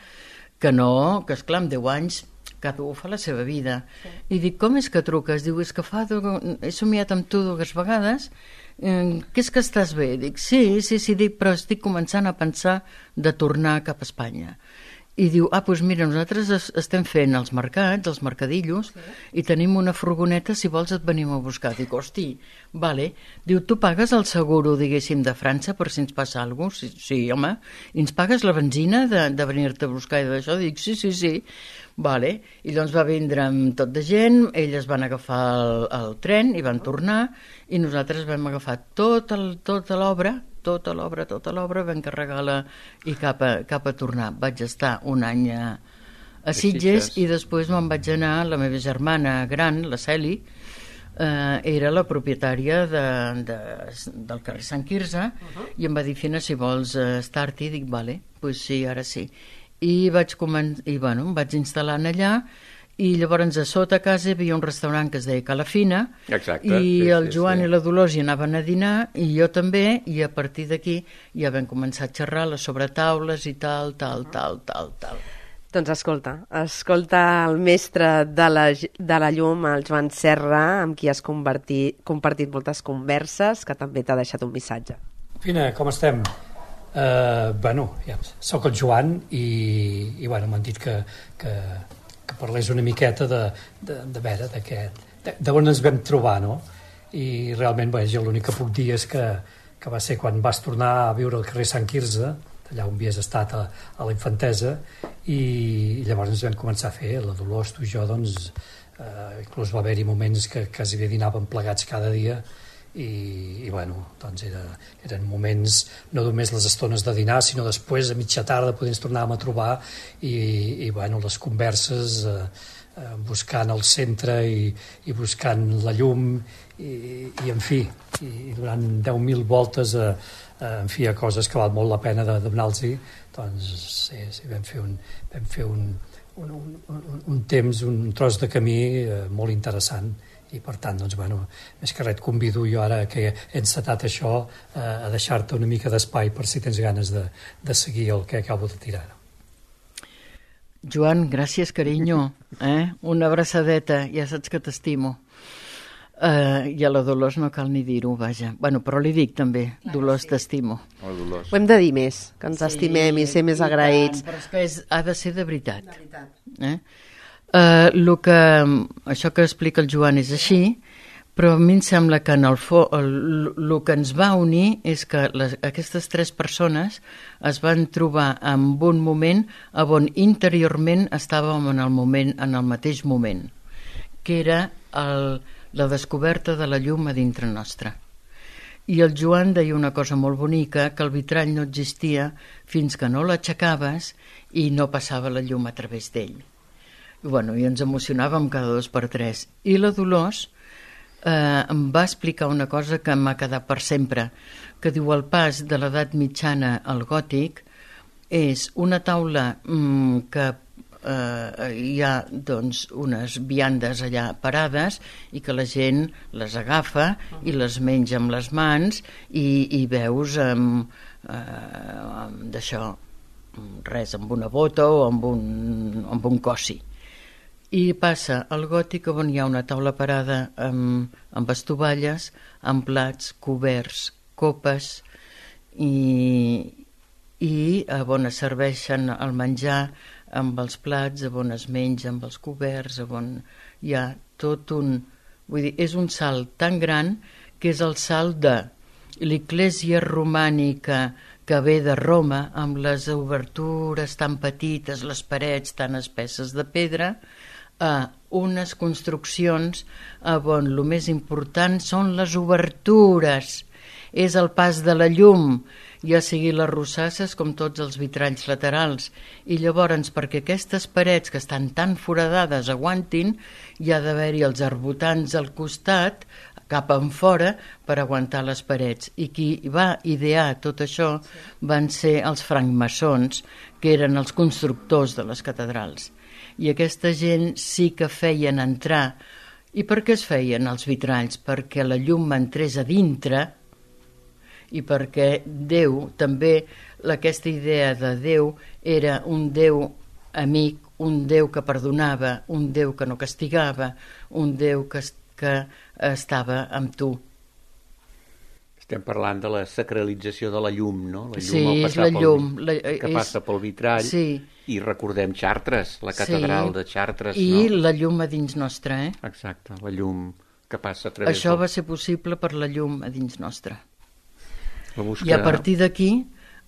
que no, que esclar, amb deu anys, cada un fa la seva vida. Sí. I dic, com és que truques? Diu, és que fa, he somiat amb tu dues vegades, eh, què és que estàs bé? Dic, sí, sí, sí, dic, però estic començant a pensar de tornar cap a Espanya. I diu, ah, doncs mira, nosaltres es, estem fent els mercats, els mercadillos, sí, i tenim una furgoneta, si vols et venim a buscar. Dic, hosti, vale. Diu, tu pagues el seguro, diguéssim, de França per si ens passa alguna cosa? Sí, sí, home. I ens pagues la benzina de, de venir-te a buscar i d'això? Dic, sí, sí, sí. Vale. I llavors va vindre amb tot de gent, elles van agafar el, el tren i van tornar, i nosaltres vam agafar tot el, tota l'obra tota l'obra, tota l'obra, vam carregar-la i cap a, cap a tornar. Vaig estar un any a, a Sitges i després me'n vaig anar, la meva germana gran, la Celi, eh, era la propietària de, de, del carrer Sant Quirze uh-huh. i em va dir, Fina, si vols eh, estar-hi, dic, vale, pues sí, ara sí. I vaig començar, i bueno, em vaig instal·lar allà. I llavors a sota casa hi havia un restaurant que es deia Cala Fina. Exacte, i sí, el sí, Joan sí. i la Dolors hi anaven a dinar i jo també, i a partir d'aquí ja vam començar a xerrar les sobretaules i tal, tal, tal, tal, tal. Doncs escolta, escolta el mestre de la, de la llum, el Joan Serra, amb qui has compartit, compartit moltes converses, que també t'ha deixat un missatge. Fina, com estem? Uh, bueno, ja, soc el Joan i, i bueno, m'han dit que, que, que parlés una miqueta de, de, de veure d'aquest, d'on ens vam trobar, no? I realment, bé, jo l'únic que puc dir és que, que va ser quan vas tornar a viure al carrer Sant Quirze, allà on havies estat a, a la infantesa, i, i llavors ens vam començar a fer, la Dolors, tu i jo, doncs, eh, inclús va haver-hi moments que quasi bé dinàvem plegats cada dia, i, i bueno, doncs era, eren moments, no només les estones de dinar, sinó després, a mitja tarda, poder ens tornàvem a trobar, i, i bueno, les converses, eh, eh, buscant el centre i, i buscant la llum, i, i en fi, i durant deu mil voltes a, a, en fi, a coses que val molt la pena de, de donar-los-hi, doncs sí, sí, vam fer un, vam fer un, un, un, un, un temps, un tros de camí eh, molt interessant, i per tant, doncs, bueno, més que res et convido jo ara que he encetat això eh, a deixar-te una mica d'espai per si tens ganes de, de seguir el que acabo de tirar. Joan, gràcies, carinyo. Eh? Una abraçadeta, ja saps que t'estimo. Uh, I a la Dolors no cal ni dir-ho, vaja. Bueno, però li dic també, clar, Dolors, sí. T'estimo. Oh, Dolors. Ho hem de dir més, que ens sí, estimem i ser més i agraïts. Tant, però és que és, ha de ser de veritat. De veritat. Eh? Uh, lo que, això que explica el Joan és així, però a mi em sembla que en el, fo, el, el que ens va unir és que les, aquestes tres persones es van trobar en un moment on interiorment estàvem en el, moment, en el mateix moment, que era el, la descoberta de la llum a dintre nostra. I el Joan deia una cosa molt bonica, que el vitrall no existia fins que no l'aixecaves i no passava la llum a través d'ell. I, bueno, i ens emocionàvem cada dos per tres. I la Dolors eh, em va explicar una cosa que m'ha quedat per sempre, que diu el pas de l'edat mitjana al gòtic és una taula mm, que eh, hi ha doncs, unes viandes allà parades i que la gent les agafa i les menja amb les mans i, i veus amb, eh, amb d'això, res, amb una bota o amb un, amb un cossi. I passa al gòtic on hi ha una taula parada amb, amb estovalles, amb plats, coberts, copes i, i on es serveixen el menjar amb els plats, on es menja amb els coberts, on hi ha tot un... Vull dir, és un salt tan gran que és el salt de l'Església romànica que ve de Roma, amb les obertures tan petites, les parets tan espesses de pedra, a unes construccions on el més important són les obertures, és el pas de la llum, ja sigui les rosasses com tots els vitralls laterals, i llavors perquè aquestes parets que estan tan foradades aguantin, hi ha d'haver-hi els arbotants al costat cap en fora per aguantar les parets, i qui va idear tot això van ser els francmaçons, que eren els constructors de les catedrals. I aquesta gent sí que feien entrar. I per què es feien els vitralls? Perquè la llum entrés a dintre i perquè Déu, també aquesta idea de Déu era un Déu amic, un Déu que perdonava, un Déu que no castigava, un Déu que, que estava amb tu. Estem parlant de la sacralització de la llum, no? La llum sí, al és la pel, llum. La, que és, passa pel vitrall. Sí. I recordem Chartres, la catedral sí, de Chartres. I no? la llum a dins nostra, eh? Exacte, la llum que passa a través... Això del... va ser possible per la llum a dins nostra. La busca... I a partir d'aquí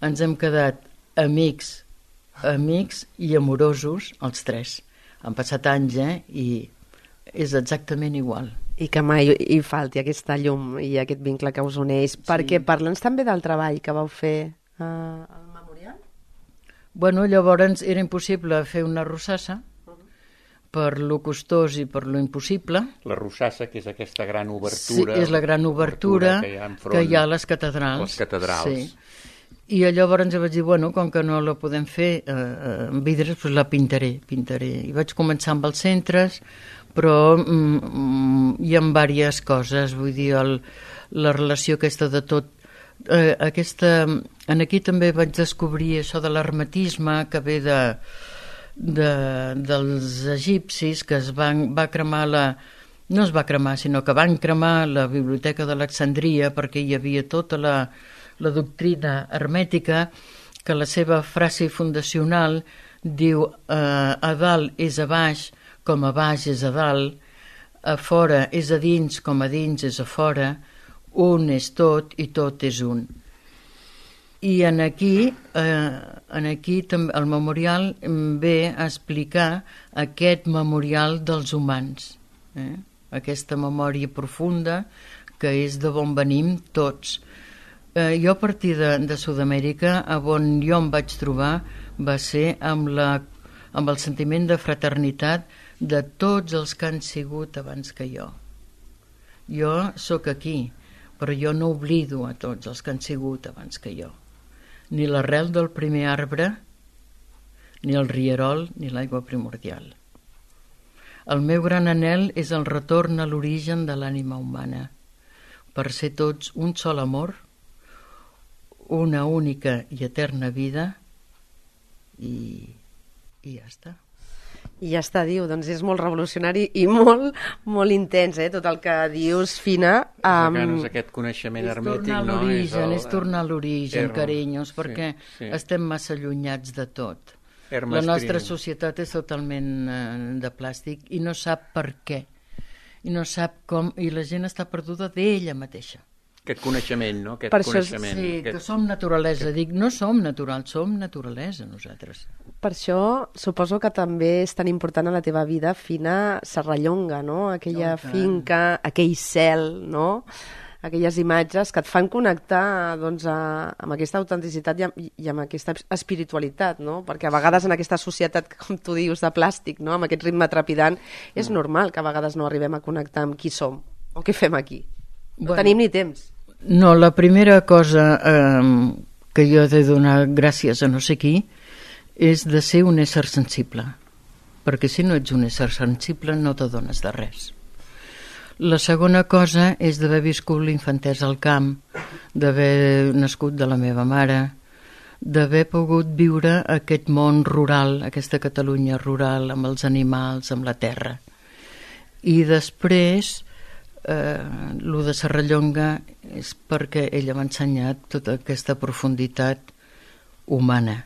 ens hem quedat amics, amics i amorosos, els tres. Han passat anys, eh? I és exactament igual. I que mai hi falti aquesta llum i aquest vincle que us uneix. Sí. Perquè parla'ns també del treball que vau fer uh, al memorial. Bueno, llavors era impossible fer una rossassa per lo costós i per lo impossible. La rossassa, que és aquesta gran obertura. Sí, és la gran obertura, obertura que, hi ha enfront, que hi ha a les catedrals. Les catedrals. Sí. I llavors vaig dir, bueno, com que no la podem fer eh, amb vidres, doncs la pintaré, pintaré. I vaig començar amb els centres, però mm, hi ha diverses coses, vull dir, el, la relació aquesta de tot. Eh, aquesta, en aquí també vaig descobrir això de l'hermetisme que ve de, de, dels egipcis, que es van, va cremar la... No es va cremar, sinó que van cremar la biblioteca d'Alexandria perquè hi havia tota la... la doctrina hermètica, que la seva frase fundacional diu eh, a dalt és a baix com a baix és a dalt, a fora és a dins com a dins és a fora, un és tot i tot és un. I en aquí, eh, en aquí el memorial ve a explicar aquest memorial dels humans, eh? Aquesta memòria profunda que és de on venim tots. Eh, jo a partir de, de Sud-amèrica, on jo em vaig trobar va ser amb, la, amb el sentiment de fraternitat de tots els que han sigut abans que jo. Jo sóc aquí, però jo no oblido a tots els que han sigut abans que jo. Ni l'arrel del primer arbre, ni el rierol, ni l'aigua primordial. El meu gran anhel és el retorn a l'origen de l'ànima humana, per ser tots un sol amor, una única i eterna vida i, i ja està. I ja està, diu, doncs és molt revolucionari i molt, molt intens, eh, tot el que dius, Fina. Um... És aquest coneixement hermètic, no? És, el... és tornar a l'origen, carinyos, perquè sí, sí. estem massa allunyats de tot. Hermes la nostra trin. societat és totalment eh, de plàstic i no sap per què. I no sap com, i la gent està perduda d'ella mateixa. Aquest coneixement, no? Aquest per coneixement, això, sí, aquest... que som naturalesa. Dic, no som naturals, som naturalesa nosaltres. Per això suposo que també és tan important a la teva vida, Fina, Serrallonga, no? Aquella no, finca, aquell cel, no? Aquelles imatges que et fan connectar doncs, a, amb aquesta autenticitat i amb, i amb aquesta espiritualitat, no? Perquè a vegades en aquesta societat, com tu dius, de plàstic, no? Amb aquest ritme trepidant, és mm. normal que a vegades no arribem a connectar amb qui som o què fem aquí. No bueno, tenim ni temps. No, la primera cosa eh, que jo he de donar gràcies a no sé qui és de ser un ésser sensible, perquè si no ets un ésser sensible no t'adones de res. La segona cosa és d'haver viscut l'infantesa al camp, d'haver nascut de la meva mare, d'haver pogut viure aquest món rural, aquesta Catalunya rural, amb els animals, amb la terra. I després, eh, lo de Serrallonga és perquè ella m'ha ensenyat tota aquesta profunditat humana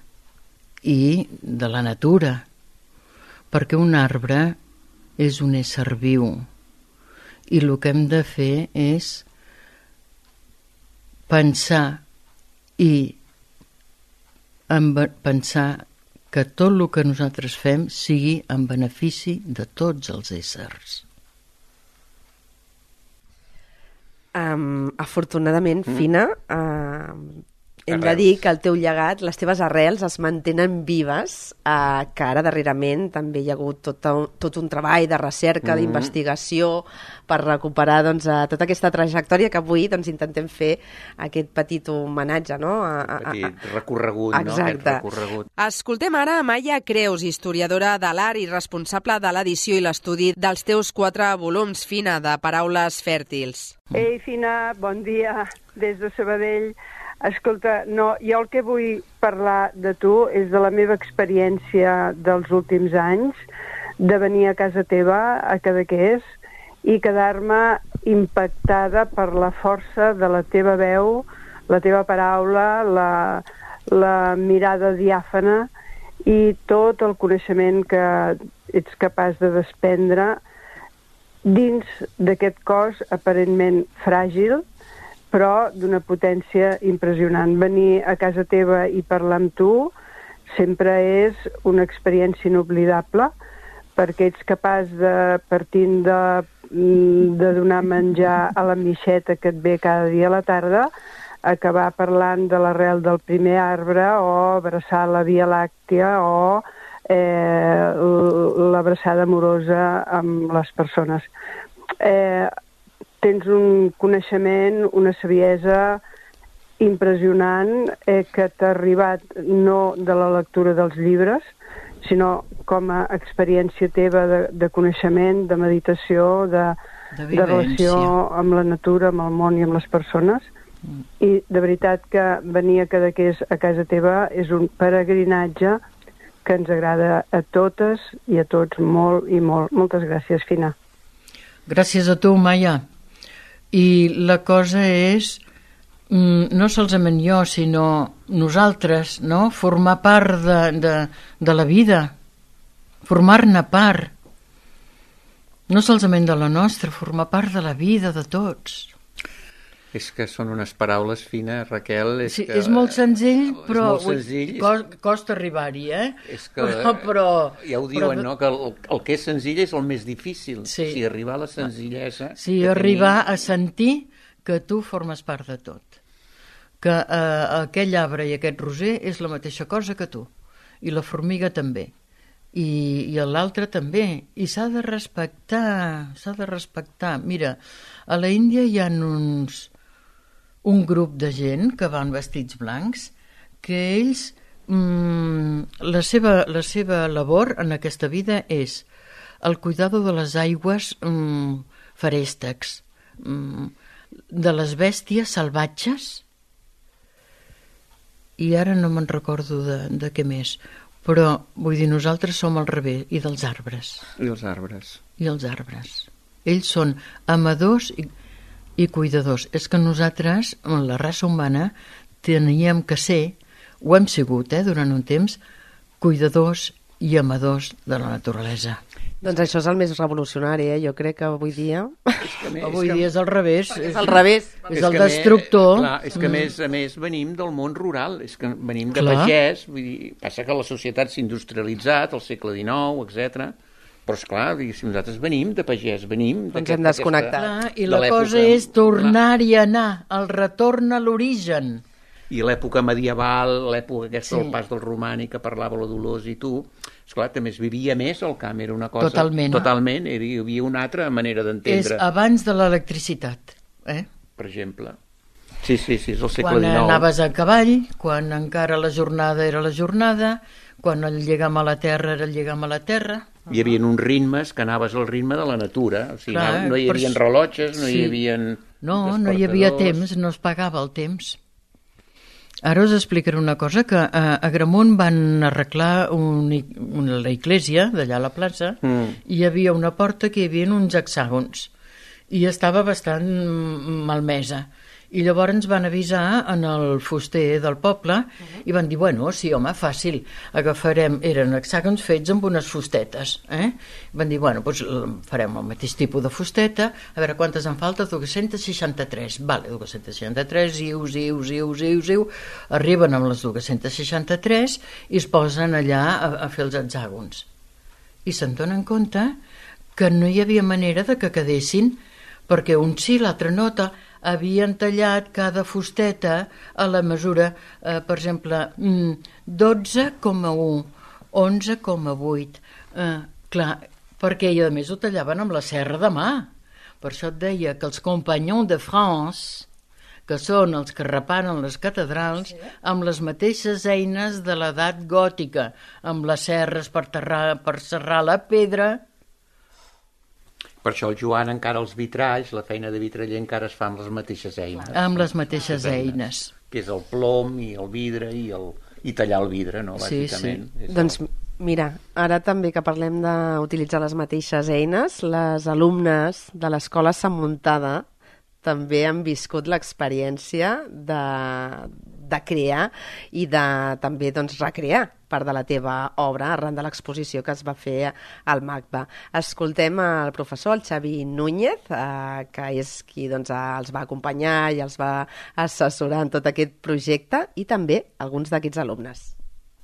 i de la natura, perquè un arbre és un ésser viu i el que hem de fer és pensar i pensar que tot el que nosaltres fem sigui en benefici de tots els éssers. Um, afortunadament, mm. Fina, uh, hem de dir que el teu llegat, les teves arrels es mantenen vives, uh, que ara darrerament també hi ha hagut tot un, tot un treball de recerca, mm. d'investigació per recuperar doncs, uh, tota aquesta trajectòria que avui doncs, intentem fer aquest petit homenatge, no? A, a, a, petit recorregut, no? Aquest recorregut. Escoltem ara a Maia Creus, historiadora de l'art i responsable de l'edició i l'estudi dels teus quatre volums, Fina, de Paraules fèrtils. Ei, Fina, bon dia, des de Sabadell. Escolta, no, jo el que vull parlar de tu és de la meva experiència dels últims anys, de venir a casa teva, a Cadaqués, i quedar-me impactada per la força de la teva veu, la teva paraula, la, la mirada diàfana i tot el coneixement que ets capaç de desprendre dins d'aquest cos aparentment fràgil, però d'una potència impressionant. Venir a casa teva i parlar amb tu sempre és una experiència inoblidable, perquè ets capaç de, partint de de donar menjar a la mixeta que et ve cada dia a la tarda, acabar parlant de l'arrel del primer arbre o abraçar la Via Làctia o eh, l'abraçada amorosa amb les persones. Eh, tens un coneixement, una saviesa impressionant eh, que t'ha arribat no de la lectura dels llibres, sinó com a experiència teva de, de coneixement, de meditació, de, De de relació vivència. amb la natura, amb el món i amb les persones. Mm. I de veritat que venir a Cadaqués a casa teva és un peregrinatge que ens agrada a totes i a tots molt i molt. Moltes gràcies, Fina. Gràcies a tu, Maia. I la cosa és, mm, no solament jo, sinó nosaltres, no? Formar part de, de, de la vida, formar-ne part. No solament de la nostra, formar part de la vida de tots. És que són unes paraules fines, Raquel. És, Sí, que, és molt senzill, però és molt senzill. cos, costa arribar-hi, eh? És que, però, però, ja ho diuen, però, no? Que el, el que és senzill és el més difícil. Sí. O sigui, arribar a la senzillesa... Sí, que arribar tenim. a sentir que tu formes part de tot. Que eh, aquell arbre i aquest roser és la mateixa cosa que tu. I la formiga també. I, i l'altre també. I s'ha de respectar, s'ha de respectar. Mira, a la Índia hi ha uns, un grup de gent que van vestits blancs que ells, mm, la, seva, la seva labor en aquesta vida és el cuidado de les aigües mm, feréstecs, mm, de les bèsties salvatges, i ara no me'n recordo de, de què més, però vull dir, nosaltres som al revés, i dels arbres. I els arbres. I els arbres. Ells són amadors i, i cuidadors. És que nosaltres, la raça humana, teníem que ser, ho hem sigut eh, durant un temps, cuidadors i amadors de la naturalesa. Doncs això és el més revolucionari, eh? Jo crec que avui dia... És que, a més, Avui és que, dia és al revés. És al revés. És és el que a destructor. Més, clar, és que a Mm. més, a més venim del món rural, és que venim de Clar. pagès, vull dir, passa que la societat s'ha industrialitzat, al segle dinou, etcètera. Però esclar, si nosaltres venim de pagès, venim... Doncs d'aquest- hem desconnectat. Clar, I de la l'època, cosa és tornar-hi a anar, el retorn a l'origen. I l'època medieval, l'època aquesta Sí. del pas del romànic que parlava la Dolors i tu, esclar, també es vivia més al camp, era una cosa... Totalment. Totalment, era, hi havia una altra manera És d'entendre, abans de l'electricitat. Eh? per exemple. Sí, sí, sí, és el segle Quan dinou. anaves a cavall, quan encara la jornada era la jornada, quan el lligam a la terra era el lligam a la terra. Hi havia uns ritmes que anaves al ritme de la natura, o sigui, Clar, no, no hi per havia això- rellotges, no sí. hi havia No, no hi havia temps, no es pagava el temps. Ara us explicaré una cosa, que a Agramunt van arreglar un, una, la iglesia d'allà a la plaça, Mm. i hi havia una porta que hi havia uns hexàgons i estava bastant malmesa. I llavors ens van avisar en el fuster del poble i van dir, bueno, sí, home, fàcil, agafarem, eren hexàgons fets amb unes fustetes, eh? Van dir, bueno, doncs farem el mateix tipus de fusteta, a veure quantes en falta, dos-cents seixanta-tres, vale, dos-cents seixanta-tres, iu, iu, iu, iu, iu, arriben amb les dos-cents seixanta-tres i es posen allà a, a fer els hexàgons. I se'n donen compte que no hi havia manera de que quedessin, perquè un sí, l'altre no, ta- havien tallat cada fusteta a la mesura, eh, per exemple, mm, dotze coma u, onze coma vuit. Eh, clar, perquè i a més ho tallaven amb la serra de mà. Per això et deia que els Compagnons de France, que són els que reparen les catedrals, amb les mateixes eines de l'edat gòtica, amb les serres per, terrar, per serrar la pedra. Per això el Joan encara els vitralls, la feina de vitraller encara es fa amb les mateixes eines. Amb les mateixes eines. Que és el plom i el vidre i, el, i tallar el vidre, no, Sí, bàsicament. sí. És Doncs mira, ara també que parlem d'utilitzar les mateixes eines, les alumnes de l'Escola Sant Muntada també han viscut l'experiència de, de crear i de també doncs, recrear part de la teva obra arran de l'exposició que es va fer al MACBA. Escoltem el professor, el Xavi Núñez, eh, que és qui doncs, els va acompanyar i els va assessorar en tot aquest projecte, i també alguns d'aquests alumnes.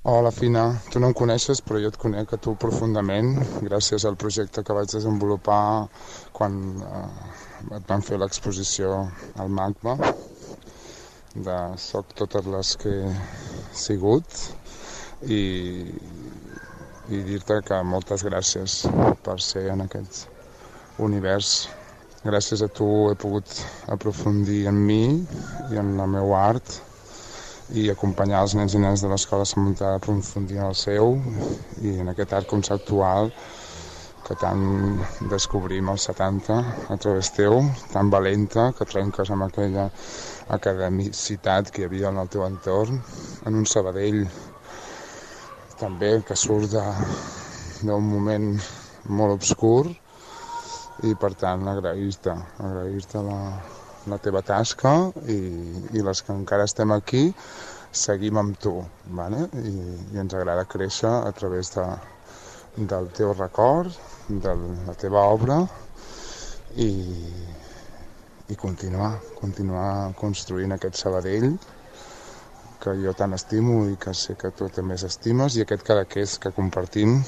Hola, Fina. Tu no em coneixes, però jo et conec a tu profundament, gràcies al projecte que vaig desenvolupar quan eh, et van fer l'exposició al MACBA, de Soc totes les que he sigut, i, i dir-te que moltes gràcies per ser en aquest univers. Gràcies a tu he pogut aprofundir en mi i en la meva art, i acompanyar els nens i nenes de l'Escola Sant Montà a aprofundir en el seu i en aquest art conceptual que tant descobrim als setanta a través teu, tan valenta, que trenques amb aquella academicitat que hi havia en el teu entorn, en un Sabadell també que surt d'un moment molt obscur, i per tant agrair-te, agrair-te la la teva tasca i, i les que encara estem aquí seguim amb tu, vale? I, i ens agrada créixer a través de, del teu record, de la teva obra i, i continuar, continuar construint aquest Sabadell que jo tant estimo i que sé que tu també estimes, i aquest Cadaqués que compartim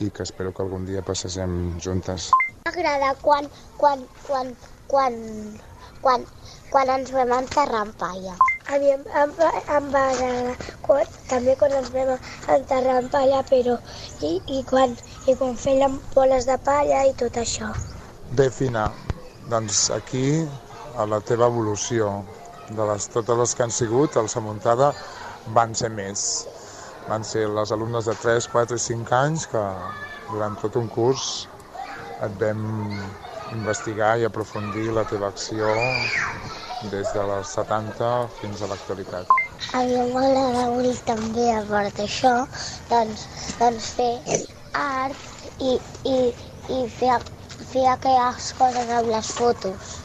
i que espero que algun dia passegem juntes. M'agrada quan, quan, quan, quan, quan, quan ens vam enterrar en palla. A mi em, em, em va agradar quan, també quan ens vam enterrar en palla, però i, i, quan, i quan fèiem boles de palla i tot això. Bé, Fina, doncs aquí a la teva evolució de les, totes les que han sigut, el Samuntada van ser més. Van ser les alumnes de tres, quatre i cinc anys que durant tot un curs et vam investigar i aprofundir la teva acció des de les setanta fins a l'actualitat. A mi m'agrada molt també, a part d'això, doncs, doncs fer art i, i, i fer, fer aquelles coses amb les fotos.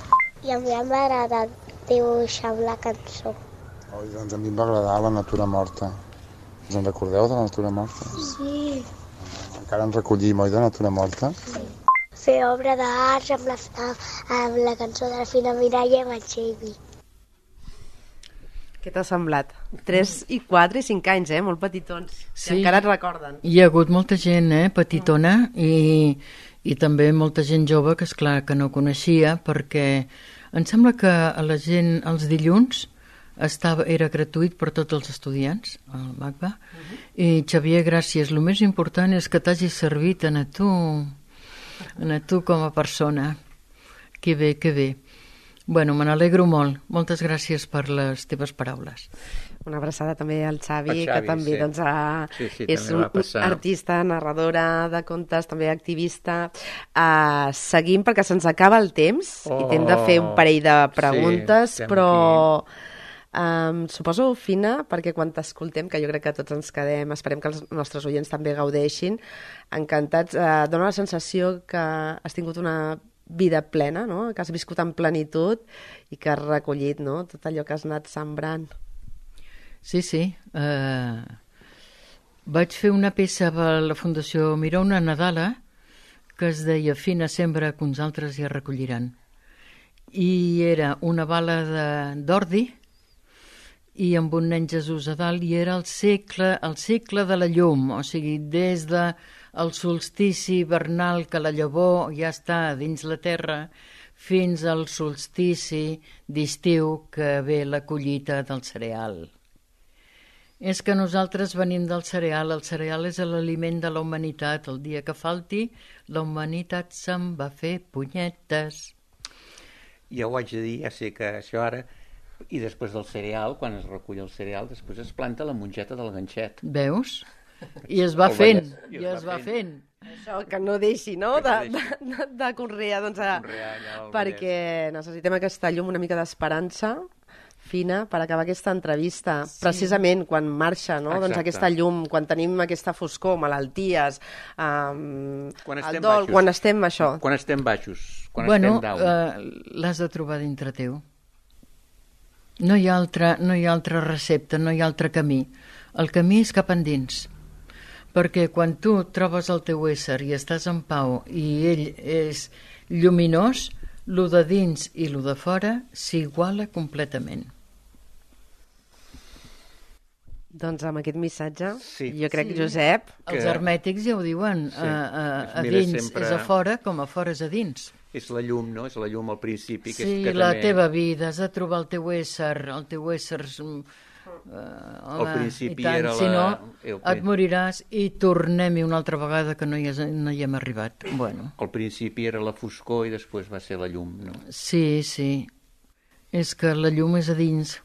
I a mi m'agrada dibuixar amb la cançó. Oh, doncs a mi em va agradar la natura morta. Us en recordeu de la natura morta? Sí. Encara en recollim, oi, de natura morta? Sí. Fer obra d'art amb, la, amb la cançó de la Fina Mireia i amb el Xavi. Què t'ha semblat? tres i quatre i cinc anys, eh? Molt petitons. Sí. I encara et recorden. Hi ha hagut molta gent, eh? Petitona, i, i també molta gent jove que, esclar, que no coneixia, perquè em sembla que a la gent els dilluns estava, era gratuït per tots els estudiants al MACBA. Uh-huh. I Xavier, gràcies, el més important és que t'hagi servit a tu a tu com a persona. Que bé, que bé. Bueno, me n'alegro molt. Moltes gràcies per les teves paraules. Una abraçada també al Xavi, Xavi, que també sí. doncs, a, sí, sí, és també un va passar. artista, narradora de contes, també activista. Uh, seguim perquè se'ns acaba el temps oh, i t'hem de fer un parell de preguntes, sí, però um, suposo, Fina, perquè quan t'escoltem, que jo crec que tots ens quedem, esperem que els nostres oients també gaudeixin, encantats, uh, dona la sensació que has tingut una vida plena, no? Que has viscut en plenitud i que has recollit, no? Tot allò que has anat sembrant. Sí, sí. Uh, vaig fer una peça per la Fundació Miró, una Nadala, que es deia Fina sembra que uns altres hi recolliran. I era una bala d'ordi i amb un nen Jesús a dalt, i era el segle, el segle de la llum, o sigui, des de el solstici hivernal que la llavor ja està dins la terra fins al solstici d'estiu que ve la collita del cereal. És que nosaltres venim del cereal, el cereal és l'aliment de la humanitat. El dia que falti, la humanitat se'n va fer punyetes. Jo ho haig de dir, ja sé que això ara... I després del cereal, quan es recull el cereal, després es planta la mongeta del ganxet. Veus? I es va fent, i es, es va fent. Això, que no deixi, no?, de, de, de, de conrear, doncs, a, conrear ja perquè necessitem aquesta llum, una mica d'esperança, Fina, per acabar aquesta entrevista. Sí. Precisament quan marxa, no?, doncs aquesta llum, quan tenim aquesta foscor, malalties, um, quan el dol, baixos. quan estem això. Quan estem baixos, quan bueno, estem down. Uh, l'has de trobar dintre teu. No hi ha altra, no hi ha altra recepta, no hi ha altre camí. El camí és cap endins. Perquè quan tu trobes el teu ésser i estàs en pau i ell és lluminós, lo de dins i lo de fora s'iguala completament. Doncs amb aquest missatge, Sí. jo crec, Sí. Josep... Els Que- hermètics ja ho diuen, Sí. a, a, Es a mira dins sempre- és a fora com a fora és a dins. És la llum, no? És la llum al principi. Que Sí, és que la també... teva vida, has de trobar el teu ésser, el teu ésser... Uh, home, Al principi i tant, era si la- no, el- et moriràs i tornem-hi una altra vegada que no hi, has, no hi hem arribat. Bueno, Al principi era la foscor i després va ser la llum, no? sí, sí, és que la llum és a dins.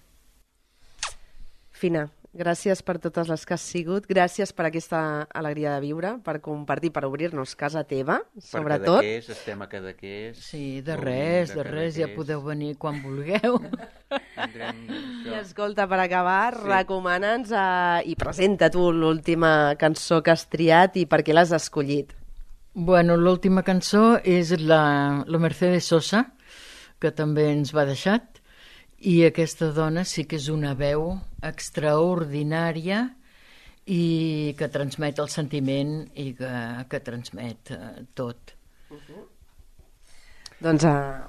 Fina, gràcies per totes les que has sigut, gràcies per aquesta alegria de viure, per compartir, per obrir-nos casa teva, sobretot. Per Cadaqués, estem a Cadaqués. Sí, de Gaudim res, de res, ja Cadaqués. podeu venir quan vulgueu. Tindrem I això. escolta, per acabar, Sí. recomana'ns eh, i presenta tu l'última cançó que has triat i per què l'has escollit. Bueno, l'última cançó és la, la Mercedes Sosa, que també ens va deixar, i aquesta dona sí que és una veu extraordinària i que transmet el sentiment i que, que transmet eh, tot. Doncs eh,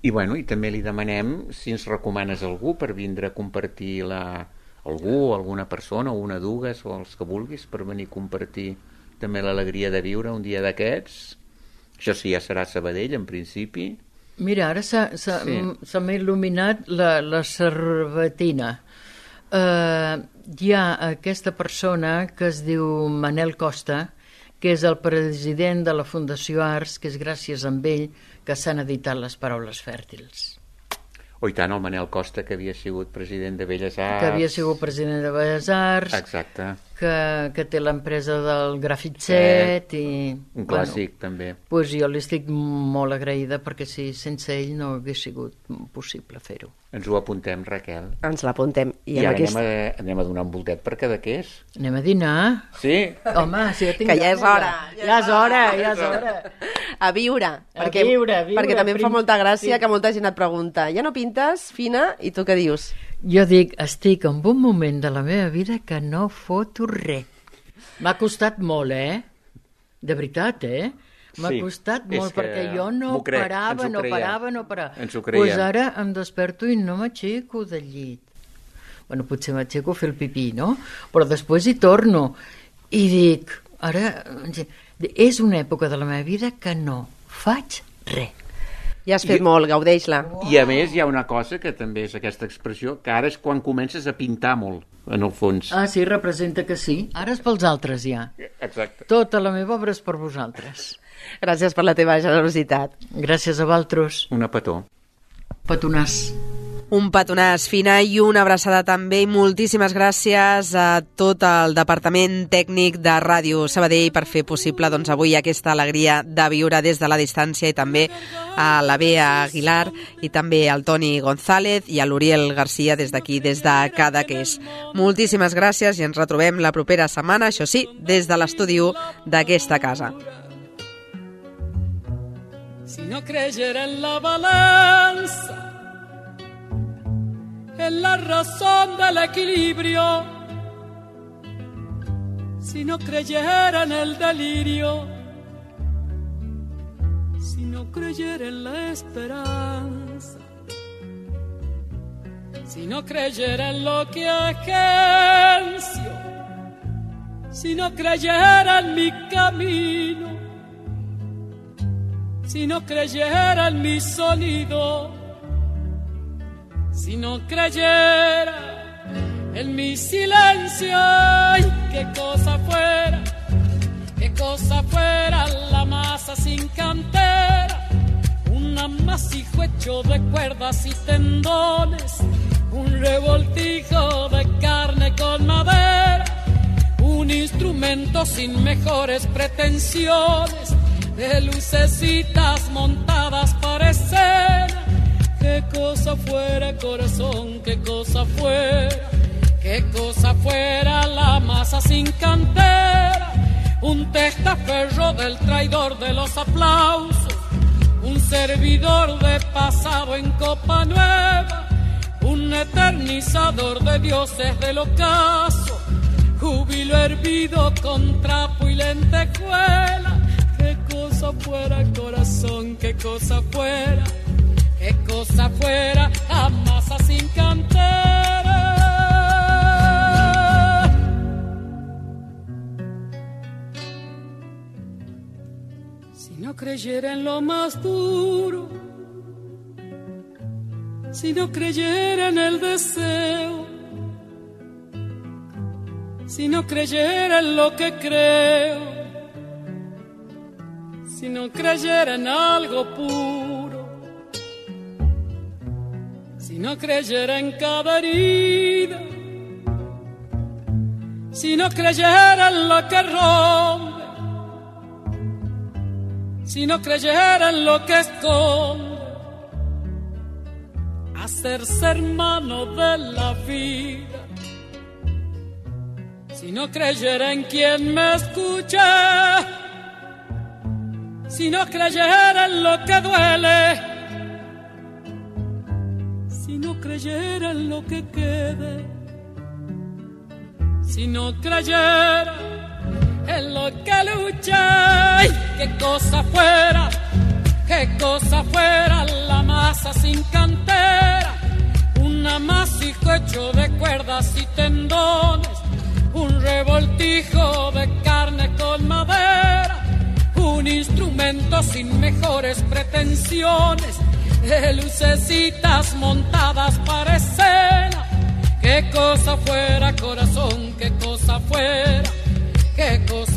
I, bueno, I també li demanem si ens recomanes algú per vindre a compartir la... algú, alguna persona, o una dues, o els que vulguis, per venir a compartir també l'alegria de viure un dia d'aquests. Això sí, ja serà a Sabadell, en principi. Mira, ara s'ha s'ha- Sí. m- se m'ha il·luminat la, la cervetina. Uh, hi ha aquesta persona que es diu Manel Costa, que és el president de la Fundació Arts, que és gràcies a ell que s'han editat les Paraules Fèrtils. O i tant, el Manel Costa, que havia sigut president de Belles Arts. Que havia sigut president de Belles Arts, Exacte. que, que té l'empresa del Grafitxet i... Un clàssic, bueno, també. Pues jo li estic molt agraïda perquè si sense ell no hagués sigut possible fer-ho. Ens ho apuntem, Raquel. ens l'apuntem. I, I amb ara aquest... anem, a, anem a donar un voltet per Cadaqués. Anem a dinar? Sí? Home, si ja tinc Que ja és ganes, hora. Ja és hora, ja és hora. A viure. A perquè, viure, a viure, perquè també em fa prim- molta gràcia sí. que molta gent et pregunta ja no pintes, Fina, i tu què dius? Jo dic, estic en un moment de la meva vida que no foto res. M'ha costat molt, eh? De veritat, eh? M'ha Sí, costat és molt, que perquè jo no m'ho crec, ens parava, ho no creiem. parava, no parava. Ens ho Doncs creiem. pues ara em desperto i no m'aixeco del llit. Bueno, potser m'aixeco a fer el pipí, no? Però després hi torno i dic, ara, és una època de la meva vida que no faig res. Ja has fet I- molt, gaudeix-la. I a més hi ha una cosa que també és aquesta expressió, que ara és quan comences a pintar molt, en el fons. Ah, sí, representa que sí. Ara és pels altres, ja. Exacte. Tota la meva obra és per vosaltres. Gràcies per la teva generositat. Gràcies a vosaltres. Una petó. Petonàs. Un petonàs, Fina, i una abraçada també i moltíssimes gràcies a tot el departament tècnic de Ràdio Sabadell per fer possible doncs, avui aquesta alegria de viure des de la distància i també a la Bea Aguilar i també al Toni González i a l'Uriel Garcia des d'aquí, des de Cadaqués. Moltíssimes gràcies i ens retrobem la propera setmana, això sí, des de l'estudi u d'aquesta casa. Si no creyera en la balanza, en la razón del equilibrio, si no creyera en el delirio, si no creyera en la esperanza, si no creyera en lo que agencio, si no creyera en mi camino, si no creyera en mi sonido, si no creyera en mi silencio, ay, qué cosa fuera, qué cosa fuera la masa sin cantera, un amasijo hecho de cuerdas y tendones, un revoltijo de carne con madera, un instrumento sin mejores pretensiones, de lucecitas montadas para escena. Qué cosa fuera, corazón, qué cosa fuera, qué cosa fuera la masa sin cantera, un testaferro del traidor de los aplausos, un servidor de pasado en copa nueva, un eternizador de dioses del ocaso, júbilo hervido con trapo y lentejuela. Qué cosa fuera, corazón, qué cosa fuera, qué cosa fuera, la masa sin cantera. no creyera en lo más duro, si no creyera en el deseo, si no creyera en lo que creo, si no creyera en algo puro, si no creyera en cada herida, si no creyera en lo que rompe, si no creyera en lo que esconde, hacerse hermano de la vida, si no creyera en quien me escucha, si no creyera en lo que duele, si no creyera en lo que quede, si no creyera en lo que lucha, ¡ay! Qué cosa fuera, qué cosa fuera la masa sin cantera, un amasijo hecho de cuerdas y tendones, un revoltijo de carne con madera, un instrumento sin mejores pretensiones, de lucecitas montadas para escena. Qué cosa fuera, corazón, qué cosa fuera, qué cosa